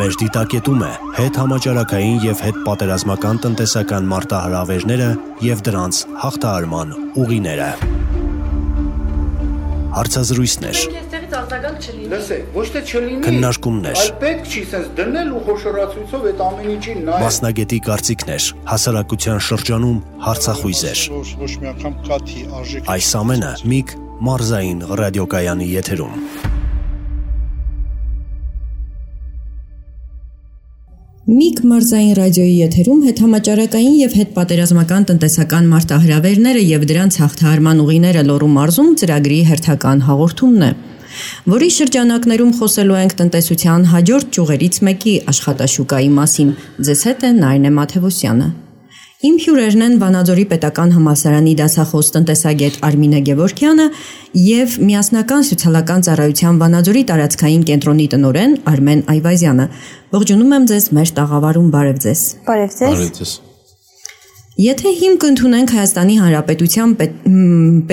Մեր դիտակետում է հետհամաճարակային եւ հետպատերազմական տնտեսական մարտահրավերները եւ դրանց հաղթահարման ուղիները։ Հարցազրույցներ, քննարկումներ, մասնագետի կարծիքներ, հասարակության շրջանում հարցախույզեր։ Այս ամենը Միգ մարզային ռադիոկայանի եթերում։ Միգ մարզային ռադիոյի եթերում հետհամաճարակային եւ հետպատերազմական տնտեսական մարտահրավերները եւ դրանց հաղթահարման ուղիները Լոռու մարզում ծրագրի հերթական հաղորդումն է, որի շրջանակներում խոսելու ենք տնտեսության հաջորդ ճյուղերից մեկի աշխատաշուկայի մասին։ Ձեզ հետ է Նարինե Մաթևոսյանը։ Իմ հյուրերն են Վանաձորի պետական համալսարանի դասախոս տնտեսագետ Արմինե Գևորգյանը եւ Միասնական սոցիալական ծառայության Վանաձորի տարածքային կենտրոնի տնօրեն Արմեն Այվազյանը։ Ողջունում եմ ձեզ մեր տաղավարում, բարև ձեզ։ Բարև ձեզ։ Եթե հիմք ընդունենք Հայաստանի Հանրապետության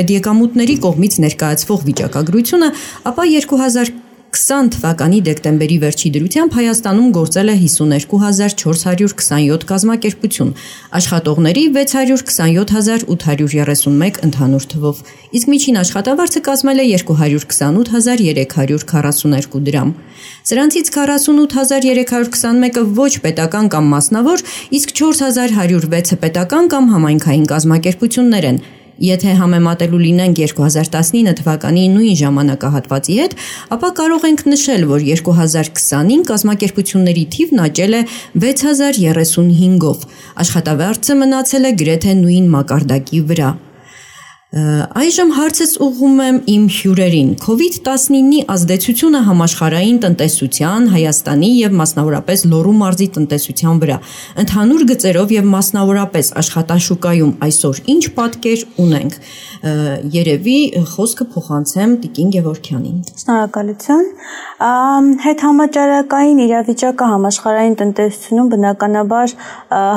պետեկամուտների կողմից ներկայացվող վիճակագրությունը, ապա 2020 թվականի դեկտեմբերի վերջի դրությամբ Հայաստանում գործել է 52427 կազմակերպություն, աշխատողների 627831 ընդհանուր թվով, իսկ միջին աշխատավարձը կազմել է 228342 դրամ։ Սրանցից 48321-ը ոչ պետական կամ մասնավոր, իսկ 4106-ը պետական կամ համայնքային կազմակերպություններ են։ Եթե համեմատելու լինենք 2019 թվականի նույն ժամանակահատվածի հետ, ապա կարող ենք նշել, որ 2020-ին կազմակերպությունների թիվն աճել է 6035-ով, աշխատավարձը մնացել է գրեթե նույն մակարդակի վրա։ Այժմ հարցս ուղղում եմ իմ հյուրերին։ COVID-19-ի ազդեցությունը համաշխարհային տնտեսության, Հայաստանի եւ մասնավորապես Լոռու մարզի տնտեսության վրա, ընդհանուր գծերով եւ մասնավորապես աշխատաշուկայում այսօր ինչ պատկեր ունենք։ Երևի խոսքը փոխանցեմ Տիկին Գևորգյանին։ Շնորհակալություն։ Հետհամաճարակային իրավիճակը համաշխարհային տնտեսությունում բնականաբար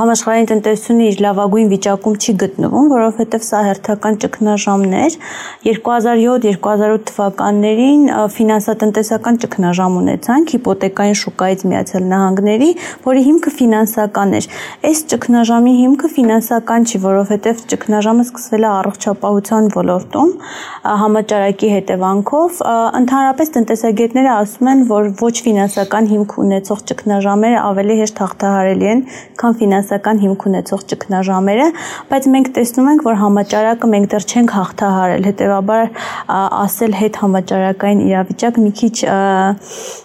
համաշխարհային տնտեսությունը իր լավագույն վիճակում չի գտնվում, որովհետև սա հերթական ճգնաժամներ 2007-2008 թվականներին ֆինանսատնտեսական ճգնաժամ ունեցանք հիպոթեկային շուկայից Միացյալ Նահանգների, որի հիմքը ֆինանսական էր։ Այս ճգնաժամի հիմքը ֆինանսական չի, որովհետև ճգնաժամը սկսվել է առողջապահության ոլորտում համաճարակի հետևանքով։ Ընդհանրապես տնտեսագետները ասում են, որ ոչ ֆինանսական հիմք ունեցող ճգնաժամերը ավելի հեշտ հաղթահարելի են, քան ֆինանսական հիմք ունեցող ճգնաժամերը, բայց մենք տեսնում ենք, որ համաճարակը մենք դեռ չենք հաղթահարել, հետևաբար ասել հետ համաճարակային իրավիճակ մի քիչ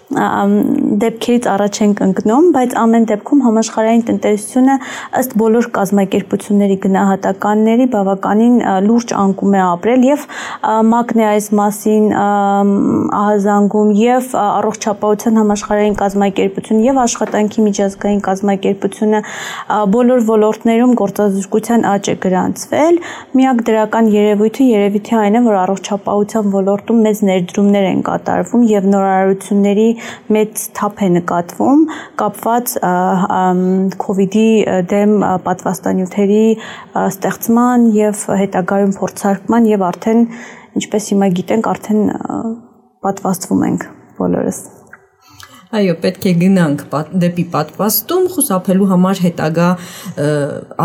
դեպքերից առաջ ենք ընկնում, բայց ամեն դեպքում համաշխարհային տնտեսությունը ըստ բոլոր կազմակերպությունների գնահատականների բավականին լուրջ անկում է ապրել եւ ՄԱԿ-ն է այս մասին ահազանգում եւ առողջապահության համաշխարհային կազմակերպություն եւ աշխատանքի միջազգային կազմակերպությունը բոլոր ոլորտներում գործազուրկության աճ է գրանցվել։ Միակ դրական երևույթը երևի թե այն է, որ առողջապահության ոլորտում մեծ ներդրումներ են կատարվում եւ նորարարությունների մեծ թափ է նկատվում կապված COVID-ի դեմ պատվաստանյութերի ստեղծման եւ հետագայում փորձարկման եւ արդեն ինչպես հիմա գիտենք արդեն պատվաստվում ենք բոլորս։ Այո, պետք է գնանք դեպի պատվաստում խուսափելու համար հետագա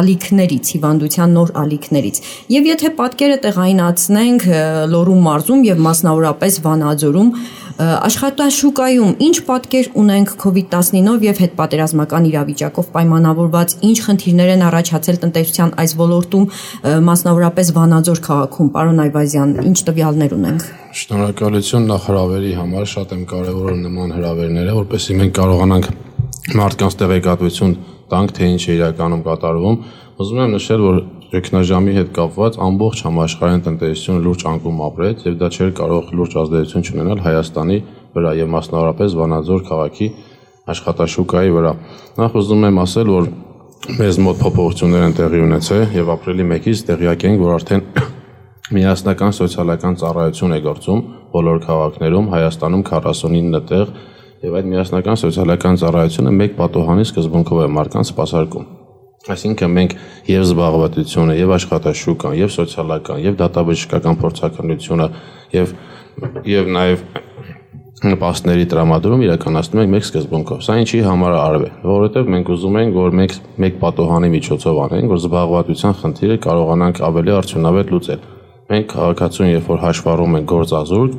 ալիքներից, հիվանդության նոր ալիքներից։ Եվ եթե պատկերը տեղայնացնենք Լոռու մարզում եւ մասնավորապես Վանաձորում, աշխատաշուկայում ինչ պատկեր ունենք COVID-19-ով եւ հետպատերազմական իրավիճակով պայմանավորված, ինչ խնդիրներ են առաջացել տնտեսության այս ոլորտում, մասնավորապես Վանաձոր քաղաքում, պարոն Այվազյան, ինչ տվյալներ ունենք։ Շնորհակալություն նախ հրավերի համար, շատ եմ կարևորում նման հրավերները, որպեսզի մենք կարողանանք մարդկանց տեղեկատվություն տանք, թե ինչ է իրականում կատարվում։ Ուզում եմ նշել, որ ճգնաժամի հետ կապված ամբողջ համաշխարհային տնտեսությունը լուրջ անկում ապրեց եւ դա չէր կարող լուրջ ազդեցություն ունենալ Հայաստանի վրա եւ մասնավորապես Վանաձոր քաղաքի աշխատաշուկայի վրա։ Նախ ուզում եմ ասել, որ մեզ մոտ փոփոխություններ են տեղի ունեցել եւ ապրիլի 1-ից տեղյակ ենք, որ արդեն Միասնական սոցիալական ծառայություն է գործում բոլոր քաղաքներում, Հայաստանում 49 տեղ եւ այդ միասնական սոցիալական ծառայությունը մեկ պատոհանի սկզբունքով է մարդկանց սպասարկում։ Այսինքն մենք եւ զբաղվածությունը, եւ աշխատաշուկան, եւ սոցիալական, եւ դատաբժշկական փորձականությունը, եւ նաեւ նպաստների տրամադրում իրականացնում ենք մեկ սկզբունքով։ Սա ինչի համար արվել, որովհետև մենք ուզում ենք, որ մեկ պատոհանի միջոցով անենք, որ զբաղվածության խնդիրը կարողանանք ավելի արդյունավետ լուծել։ Մենք քաղաքացուն, երբ որ հաշվառում ենք գործազուրկ,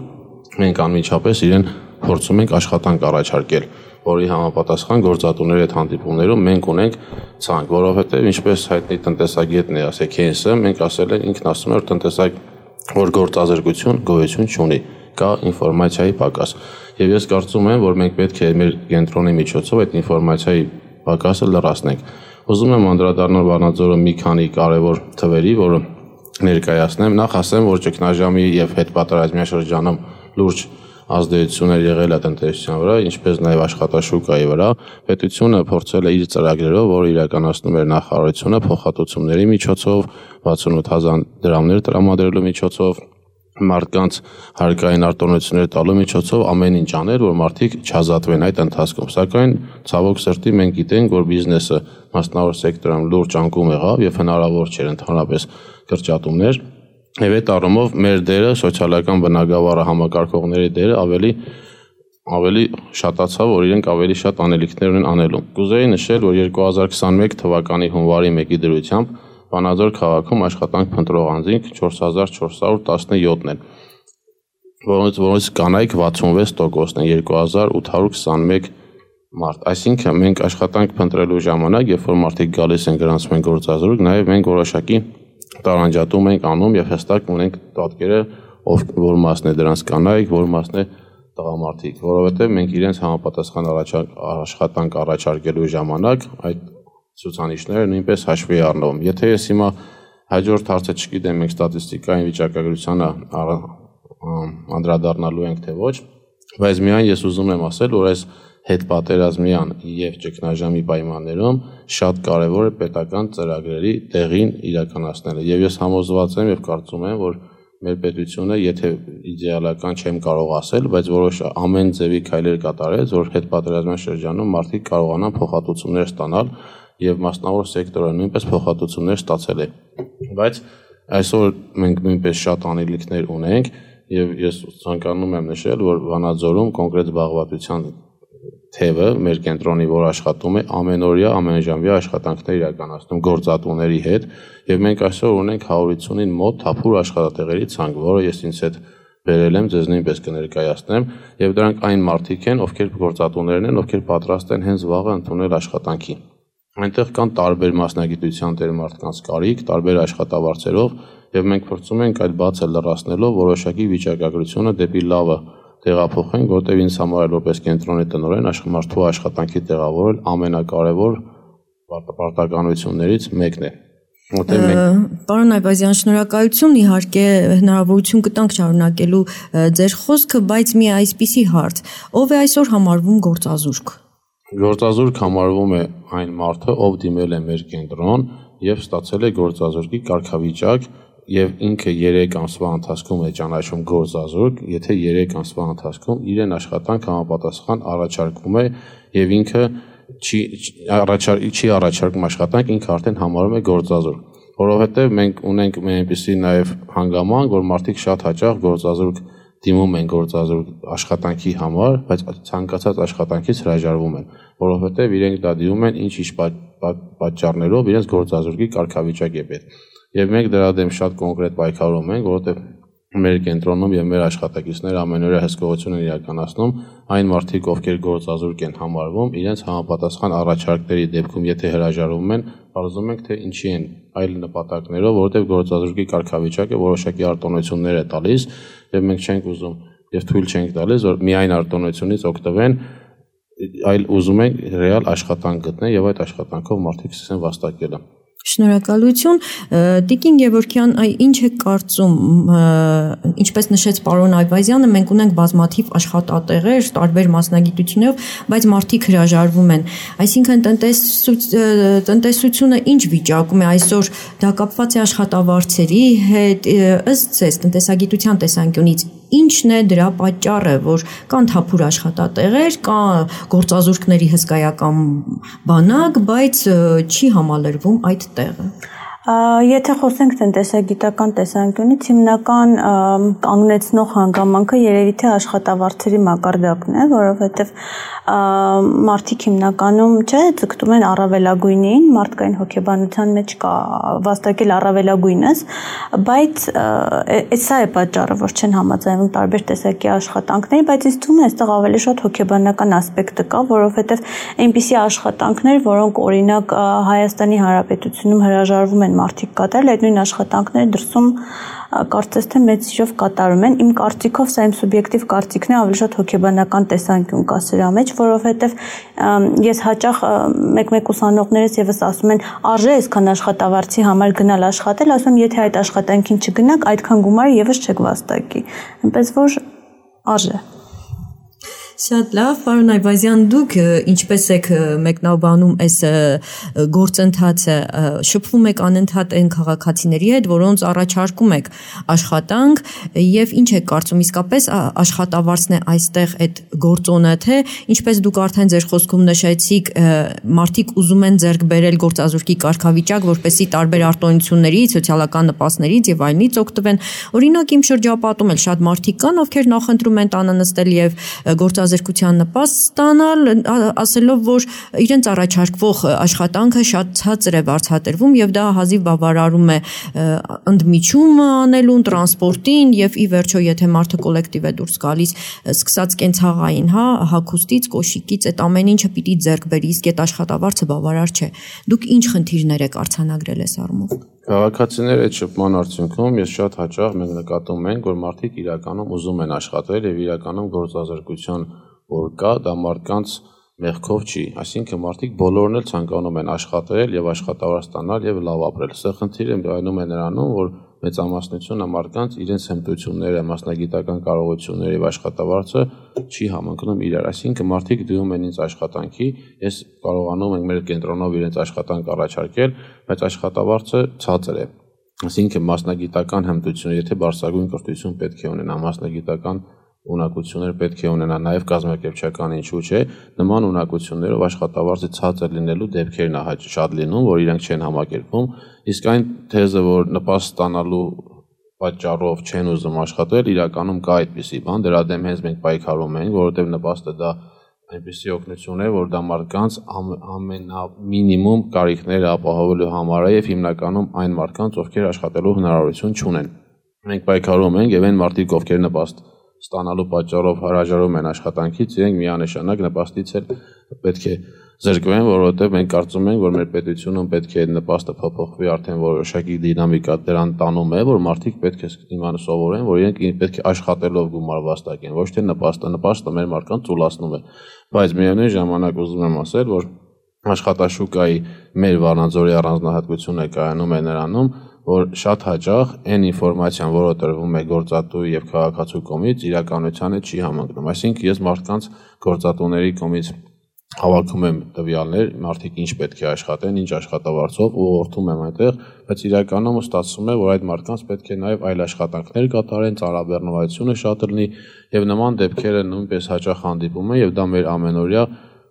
մենք անմիջապես իրեն փորձում ենք աշխատանք առաջարկել, որի համապատասխան գործատուների հետ հանդիպումներում մենք ունենք ցանկ, որովհետև ինչպես հայտնի տնտեսագետն է ասել Քեյնսը, մենք ասել ենք, ինքն ասում է, որ գործազրկություն գոյություն չունի, կա ինֆորմացիայի պակաս։ Եվ ես կարծում եմ, որ մենք պետք է մեր կենտրոնի միջոցով այդ ինֆորմացիայի պակասը լրացնենք։ Ուզում եմ անդրադառնալ Վանաձորը մի քանի կարևոր թվերի, որը ներկայացնեմ։ Նախ ասեմ, որ ճգնաժամի եւ հետպատերազմյան շրջանում լուրջ ազդեցություններ եղել է տնտեսության վրա, ինչպես նաև աշխատաշուկայի վրա։ Պետությունը փորձել է իր ծրագրերով, որը իրականացնում էր նախարարությունը, փոխհատուցումների միջոցով, 68,000 դրամներ տրամադրելու միջոցով, մարդկանց հարկային արտոնություններ տալու միջոցով ամեն ինչ անել, որ մարդիկ չազատվեն այդ ընթացքում։ Սակայն ցավոք սրտի մենք գիտենք, որ բիզնեսը մասնավոր սեկտորում լուրջ անկում եղավ եւ հնարավոր չէր ընդհանրապես կրճատումներ։ Եվ այդ առումով մեր դերը, սոցիալական բնագավառը համակարգողների դերը ավելի շատացավ, որ իրենք ավելի շատ անելիքներ ունեն անելու։ Կուզեի նշել, որ 2021 թվականի հունվարի 1-ի դրությամբ Վանաձոր քաղաքում աշխատանք փնտրող անձինք 4417-ն են, որոնց կանայք 66%-ն են, 2821 մարդ։ Այսինքն մենք աշխատանք փնտրելու ժամանակ, երբ որ մարդիկ գալիս են գրանցում են գործազուրկ, նաև մենք որոշակի տարանջատում ենք անում եւ հստակ ունենք պատկերը, որ մասն է դրանց կանայք, որ մասն է տղամարդիկ, որովհետեւ մենք իրենց համապատասխան աշխատանք առաջարկելու ժամանակ այդ ցուցանիշները նույնպես հաշվի առնվում։ Եթե ես հիմա հաջորդ հարցը չգիտեմ, մենք ստատիստիկային վիճակագրությանը անդրադառնալու ենք թե ոչ, բայց միայն ես ուզում եմ ասել, որ այս հետպատերազմյան եւ ճգնաժամի պայմաններում շատ կարեւոր է պետական ծրագրերի տեղին իրականացնելը։ Եվ ես համոզված եմ եւ կարծում եմ, որ մեր պետությունը, եթե իդեալական չեմ կարող ասել, բայց որոշ ամեն ձևի քայլեր կատարեց, որ հետպատերազմյան շրջանում մարդիկ կարողանան փոխհատուցումներ ստանալ եւ մասնավոր սեկտորը նույնպես փոխհատուցումներ ստացել է։ Բայց այսօր մենք նույնպես շատ անելիքներ ունենք եւ ես ցանկանում եմ նշել, որ Վանաձորում կոնկրետ զբաղվածության թևը մեր կենտրոնի, որ աշխատում է ամենօրյա, ամենժամյա աշխատանքներ իրականացնում գործատուների հետ եւ մենք այսօր ունենք 150-ին մոտ թափուր աշխատատեղերի ցանկ, որը ես ինձ հետ բերել եմ, ձեզ նույնպես կներկայացնեմ եւ դրանք այն մարդիկ են, ովքեր գործատուներն են, ովքեր պատրաստ են հենց վաղը ընդունել աշխատանքի։ Այնտեղ կան տարբեր մասնագիտության տեր մարդկանց կարիք, տարբեր աշխատավարձերով եւ մենք փորձում ենք այդ բացը լրացնելով որոշակի վիճակագրությունը դեպի լավը տեղափոխենք, որտեղ ինձ համար որպես կենտրոնի տնօրեն մարդու աշխատանքի տեղավորել ամենակարևոր պարտականություններից մեկն է։ Պարոն Այվազյան, շնորհակալություն, իհարկե հնարավորություն կտանք շարունակելու ձեր խոսքը, բայց մի այսպիսի հարց. ով է այսօր համարվում գործազուրկ։ Գործազուրկ համարվում է այն մարդը, ով դիմել է մեր կենտրոն եւ ստացել է գործազուրկի կարգավիճակ եւ ինքը 3 ամսվա ընթացքում է ճանաչում գործազուրկ, եթե 3 ամսվա ընթացքում իրեն աշխատանք համապատասխան առաջարկում է եւ ինքը չի առաջարկում աշխատանք, ինքը արդեն համարում է գործազուրկ, որովհետեւ մենք ունենք այնպիսի նաեւ հանգամանք, որ մարդիկ շատ հաճախ գործազուրկ դիմում են գործազուրկ աշխատանքի համար, բայց ցանկացած աշխատանքից հրաժարվում են, որովհետեւ իրենք դա դիմում են ինչ պատճառներով իրենց գործազուրկի կարգավիճակ է պետք։ Եվ մենք դրա դեմ շատ կոնկրետ պայքարում ենք, որովհետև մեր կենտրոնում եւ մեր աշխատակիցները ամենօրյա հսկողություն են իրականացնում այն մարդիկ, ովքեր գործազուրկ են համարվում, իրենց համապատասխան առաջարկների դեպքում, եթե հրաժարվում են, բարձում ենք թե ինչի են այլ նպատակներով, որովհետև գործազուրկի կարգավիճակը որոշակի արտոնություններ է տալիս եւ մենք չենք ուզում եւ թույլ չենք տալիս, որ միայն արտոնությունից օգտվեն, այլ ուզում ենք ռեալ աշխատանք գտնել եւ այդ աշխատանքով մարդիկ սկսեն վաստակել։ Շնորհակալություն, Տիկին Գևորգյան, ինչ եք կարծում, ինչպես նշեց պարոն Այվազյանը, մենք ունենք բազմաթիվ աշխատատեղեր, տարբեր մասնագիտություններով, բայց մարդիկ հրաժարվում են։ Այսինքն տնտեսությունը ինչ վիճակում է այսօր, դա կապված է աշխատավարձերի հետ, ըստ ձեզ տնտեսագիտության տեսանկյունից ինչն է դրա պատճառը, որ կան թափուր աշխատատեղեր, կա գործազուրկների հսկայական բանակ, բայց չի համալրվում այդ տեղը։ Եթե խոսենք տնտեսագիտական տեսանկյունից, հիմնական կանգնեցնող հանգամանքը երևի թե աշխատավարձերի մակարդակն է, որովհետև մարդիկ հիմնականում ձգտում են առավելագույնին, մարդկային հոգեբանության մեջ կա վաստակել առավելագույնս, բայց սա է պատճառը, որ չեն համաձայնվում տարբեր տեսակի աշխատանքների, բայց ինձ թվում է այստեղ ավելի շատ հոգեբանական ասպեկտը կա, որովհետև այնպիսի աշխատանքներ, որոնք օրինակ Հայաստանի Հանրապետությունում հրաժարվում են մարդիկ կատարել, այդ նույն աշխատանքները դրսում կարծես թե մեծ սիրով կատարում են։ Իմ կարծիքով սա իմ սուբյեկտիվ կարծիքն է, ավելի շատ հոգեբանական տեսանկյուն կա սրա մեջ, որովհետև ես հաճախ մեկ-մեկ ուսանողներս եւս ասում են, արժե այսքան աշխատավարձի համար գնալ աշխատել, ասում եմ, եթե այդ աշխատանքին չգնաք, այդքան գումարը եւս չեք վաստակի։ Այնպես որ արժե։ Շատ լավ, պարոն Այվազյան, դուք ինչպես եք մեկնաբանում այս գործընթացը, շփվում եք անընդհատ այն քաղաքացիների հետ, որոնց առաջարկում եք աշխատանք, եւ ինչ եք կարծում, իսկապես աշխատավարձն է այստեղ այդ գործոնը, թե ինչպես դուք արդեն ձեր խոսքում նշեցիք, մարդիկ ուզում են ձեռք բերել գործազուրկի կարգավիճակ, որպեսզի տարբեր արտոնություններից, սոցիալական նպաստներից եւ այլնից օգտվեն։ Օրինակ իմ շրջապատում էլ շատ մարդիկ կան, ովքեր նախընտրում են տանը նստել եւ գործազրկության նպաստ ստանալ, ասելով, որ իրենց առաջարկվող աշխատանքը շատ ցածր է վարձատրվում եւ դա հազիվ բավարարում է ընդմիջումը անելուն, տրանսպորտին եւ ի վերջո, եթե մարդը կոլեկտիվ է դուրս գալիս, սկսած կենցաղային, հագուստից, կոշիկից, այդ ամեն ինչը պիտի ձեռք բերի, իսկ այդ աշխատավարձը բավարար չէ։ Դուք ինչ խնդիրներ եք արձանագրել այս առումով։ Քաղաքացիների այդ շփման արդյունքում ես շատ հաճախ մենք նկատում ենք, որ մարդիկ իրականում ուզում են աշխատել եւ իրականում գործազրկություն որ կա, դա մարդկանց մեղքով չի, այսինքն մարդիկ բոլորն էլ ցանկանում են աշխատել եւ աշխատավարձ ստանալ եւ լավ ապրել։ Սա խնդիրը այնում է նրանում, որ մեծամասնությունը մարդկանց իրենց հմտությունները, մասնագիտական կարողությունները եւ աշխատավարձը չի համընկնում իրար։ Այսինքն մարդիկ դիմում են ինձ աշխատանքի, ես կարողանում եմ մեր կենտրոնով իրենց աշխատանք առաջարկել, բայց աշխատավարձը ցածր է։ Այսինքն մասնագիտական հմտություն, եթե բարձրագույն կրթություն պետք է ունենա, մասնագիտական ունակություններ պետք է ունենա, նաև կազմակերպչական ինչու՞ չէ, նման ունակություններով աշխատավարձը ցածր լինելու դեպքերն է շատ լինում, որ իրենք չեն համակերպվում, իսկ այն թեզը, որ նպաստ ստանալու պատճառով չեն ուզում աշխատել, իրականում կա այդպիսի բան, դրա դեմ հենց մենք պայքարում ենք, որովհետև նպաստը դա այնպիսի օգնություն է, որ դա մարդկանց ամենամինիմում կարիքները ապահովելու համար է եւ հիմնականում այն մարդկանց, ովքեր աշխատելու հնարավորություն չունեն։ Մենք պայքարում ենք եւ այն մարդիկ, ովքեր նպաստ ստանալու պատճառով հրաժարվում են աշխատանքից, իրենք միանշանակ նպաստից էլ պետք է զրկվեն, որովհետև մենք կարծում ենք, որ մեր պետությունում պետք է նպաստը փոփոխվի, արդեն որոշակի դինամիկա դրան տանում է, որ մարդիկ պետք է իմանան սովորեն, որ իրենք պետք է աշխատելով գումար վաստակեն, ոչ թե նպաստը մեր մարդկանց ծուլացնում է։ Բայց միևնույն ժամանակ ուզում եմ ասել, որ աշխատաշուկայի մեր Վառնաձորի առանձնահատկությունը կայանում է նրանում, որ շատ հաճախ այն ինֆորմացիան, որը տրվում է գործատուի եւ քաղաքացու կողմից, իրականությանը չի համընկնում։ Այսինքն ես մարդկանց գործատուների կողմից հավաքում եմ տվյալներ, մարդիկ ինչ պետք է աշխատեն, ինչ աշխատավարձով ուղղորդում եմ այնտեղ, բայց իրականում ստացվում է, որ այդ մարդկանց պետք է նաեւ այլ աշխատանքներ կատարեն, ծառաբեռնվածությունը շատ լինի եւ նման դեպքերը նույնպես հաճախ հանդիպում են եւ դա մեր ամենօրյա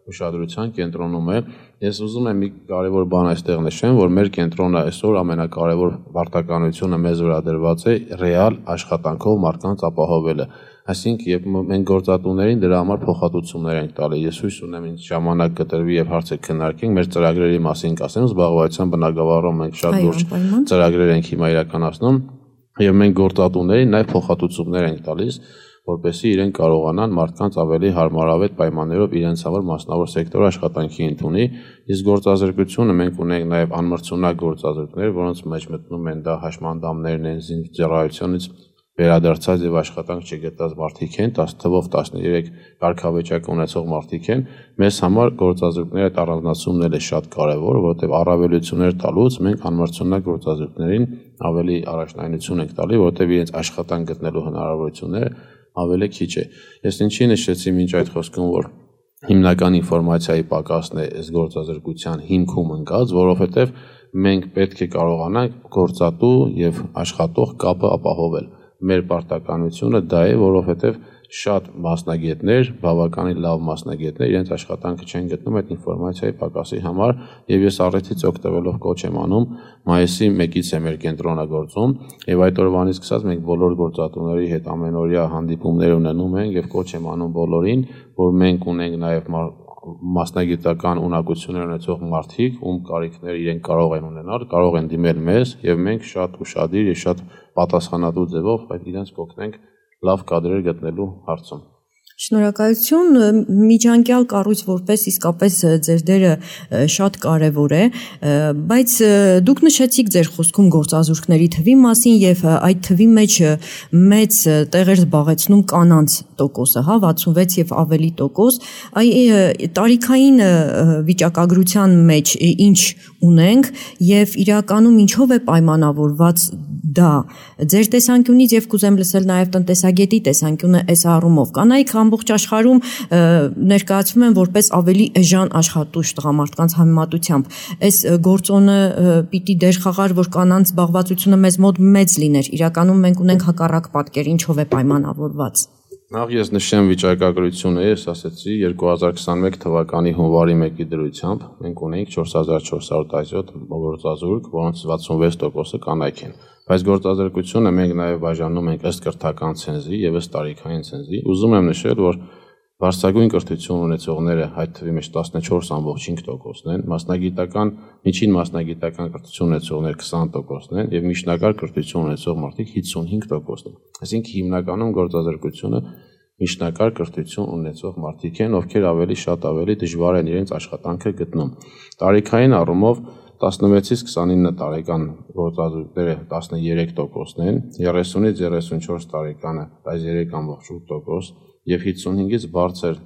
ուշադրության կենտրոնում է։ Ես ուզում եմ մի կարևոր բան այստեղ նշեմ, որ մեր կենտրոնը այսօր ամենակարևոր պարտականությունը մեզ վրա դրված է ռեալ աշխատանքով մարդկանց ապահովելը։ Այսինքն, երբ մենք գործատուներին դրա համար փոխհատուցումներ ենք տալի, ես հույս ունեմ ինձ ժամանակ կտրվի եւ հարցը քննարկենք, մեր ծրագրերի մասին կասեմ, զբաղվածության բնագավառում մենք շատ լուրջ ծրագրեր ենք հիմա իրականացնում եւ մենք գործատուներին նաեւ փոխհատուցումներ ենք տալիս, որպեսզի իրենք կարողանան մարդկանց ավելի հարմարավետ պայմաններով իրենց համար մասնավոր սեկտոր աշխատանքի ընդունի, իսկ գործազրկությունը մենք ունենք նաև անմրցունակ գործազուրկներ, որոնց մեջ մտնում են դա հաշմանդամներն են, զինծառայությունից վերադարձած եւ աշխատանք չգտած մարդիկ են, 10 թվով 13 կարգավիճակ ունեցող մարդիկ են, մեզ համար գործազուրկների այդ առանձնացումն է շատ կարեւոր, որովհետեւ առավելություններ տալուց մենք անմրցունակ գործազուրկներին ավելի առաջնայնություն ենք տալի, որովհետեւ իրենց աշխատանք գտնելու հնարավորությունները ավելի քիչ է։ Ես ինչի նշեցի մինչ այդ խոսքում, որ հիմնական ինֆորմացիայի պակասն է այս գործազրկության հիմքում ընկած, որովհետև մենք պետք է կարողանանք գործատու եւ աշխատող կապը ապահովել։ Մեր պարտականությունը դա է, որովհետև շատ մասնագետներ, բավականին լավ մասնագետներ իրենց աշխատանքը չեն գտնում այդ ինֆորմացիայի պակասի համար, եւ ես առիթից օգտվելով կոչ եմ անում մայիսի 1-ից է մեր կենտրոնը գործում, եւ այդ օրվանից սկսած մենք բոլոր գործատուների հետ ամենօրյա հանդիպումներ ունենում ենք եւ կոչ եմ անում բոլորին, որ մենք ունենք նաեւ մասնագիտական ունակություններ ունեցող մարդիկ, ում կարիքները իրենք կարող են ունենալ, կարող են դիմել մեզ եւ մենք շատ ուշադիր եւ շատ պատասխանատու ձևով այդ իրենց կօգնենք լավ կադրեր գտնելու հարցում։ Շնորհակալություն, միջանկյալ կառույց որպես իսկապես ձեր դերը շատ կարևոր է, բայց դուք նշեցիք ձեր խոսքում գործազուրկների թվի մասին եւ այդ թվի մեջ մեծ տեղ էր զբաղեցնում կանանց տոկոսը, 66 եւ ավելի տոկոս, տարիքային վիճակագրության մեջ ինչ ունենք եւ իրականում ինչով է պայմանավորված դա ձեր տեսանկյունից եւ կուզեմ լսել նաեւ տնտեսագետի տեսանկյունը այս առումով կանայք ամբողջ աշխարհում ներկայացվում են որպես ավելի էժան աշխատուժ տղամարդկանց համեմատությամբ այս գործոնը պիտի դեր խաղար որ կանանց զբաղվածությունը մեզ մոտ մեծ լիներ իրականում մենք ունենք հակառակ պատկեր ինչով է պայմանավորված Նախ ես նշեմ վիճակագրությունը, ես ասացի 2021 թվականի հունվարի 1-ի դրությամբ մենք ունենք 4417 գործազուրկ, որոնց 66%-ը կանայք են։ Բայց գործազրկությունը մենք նաև բաժանում ենք ըստ կրթական ցենզի եւ ըստ տարիքային ցենզի։ Ուզում եմ նշել, որ բարձրագույն կրթություն ունեցողները այդ թվի մեջ 14.5%-ն են, մասնագիտական, միջին մասնագիտական կրթություն ունեցողները 20%-ն են եւ միջնակարգ կրթություն ունեցող մարդիկ 55%-ն են։ Այսինքն հիմնականում գործազրկությունը միջնակարգ կրթություն ունեցող մարդիկ են, ովքեր ավելի դժվար են իրենց աշխատանքը գտնում։ Տարիքային առումով 16-ից 29 տարեկան գործազուրկները 13%-ն են, 30-ից 34 տարեկանը 13.8% եւ 55-ից բարձր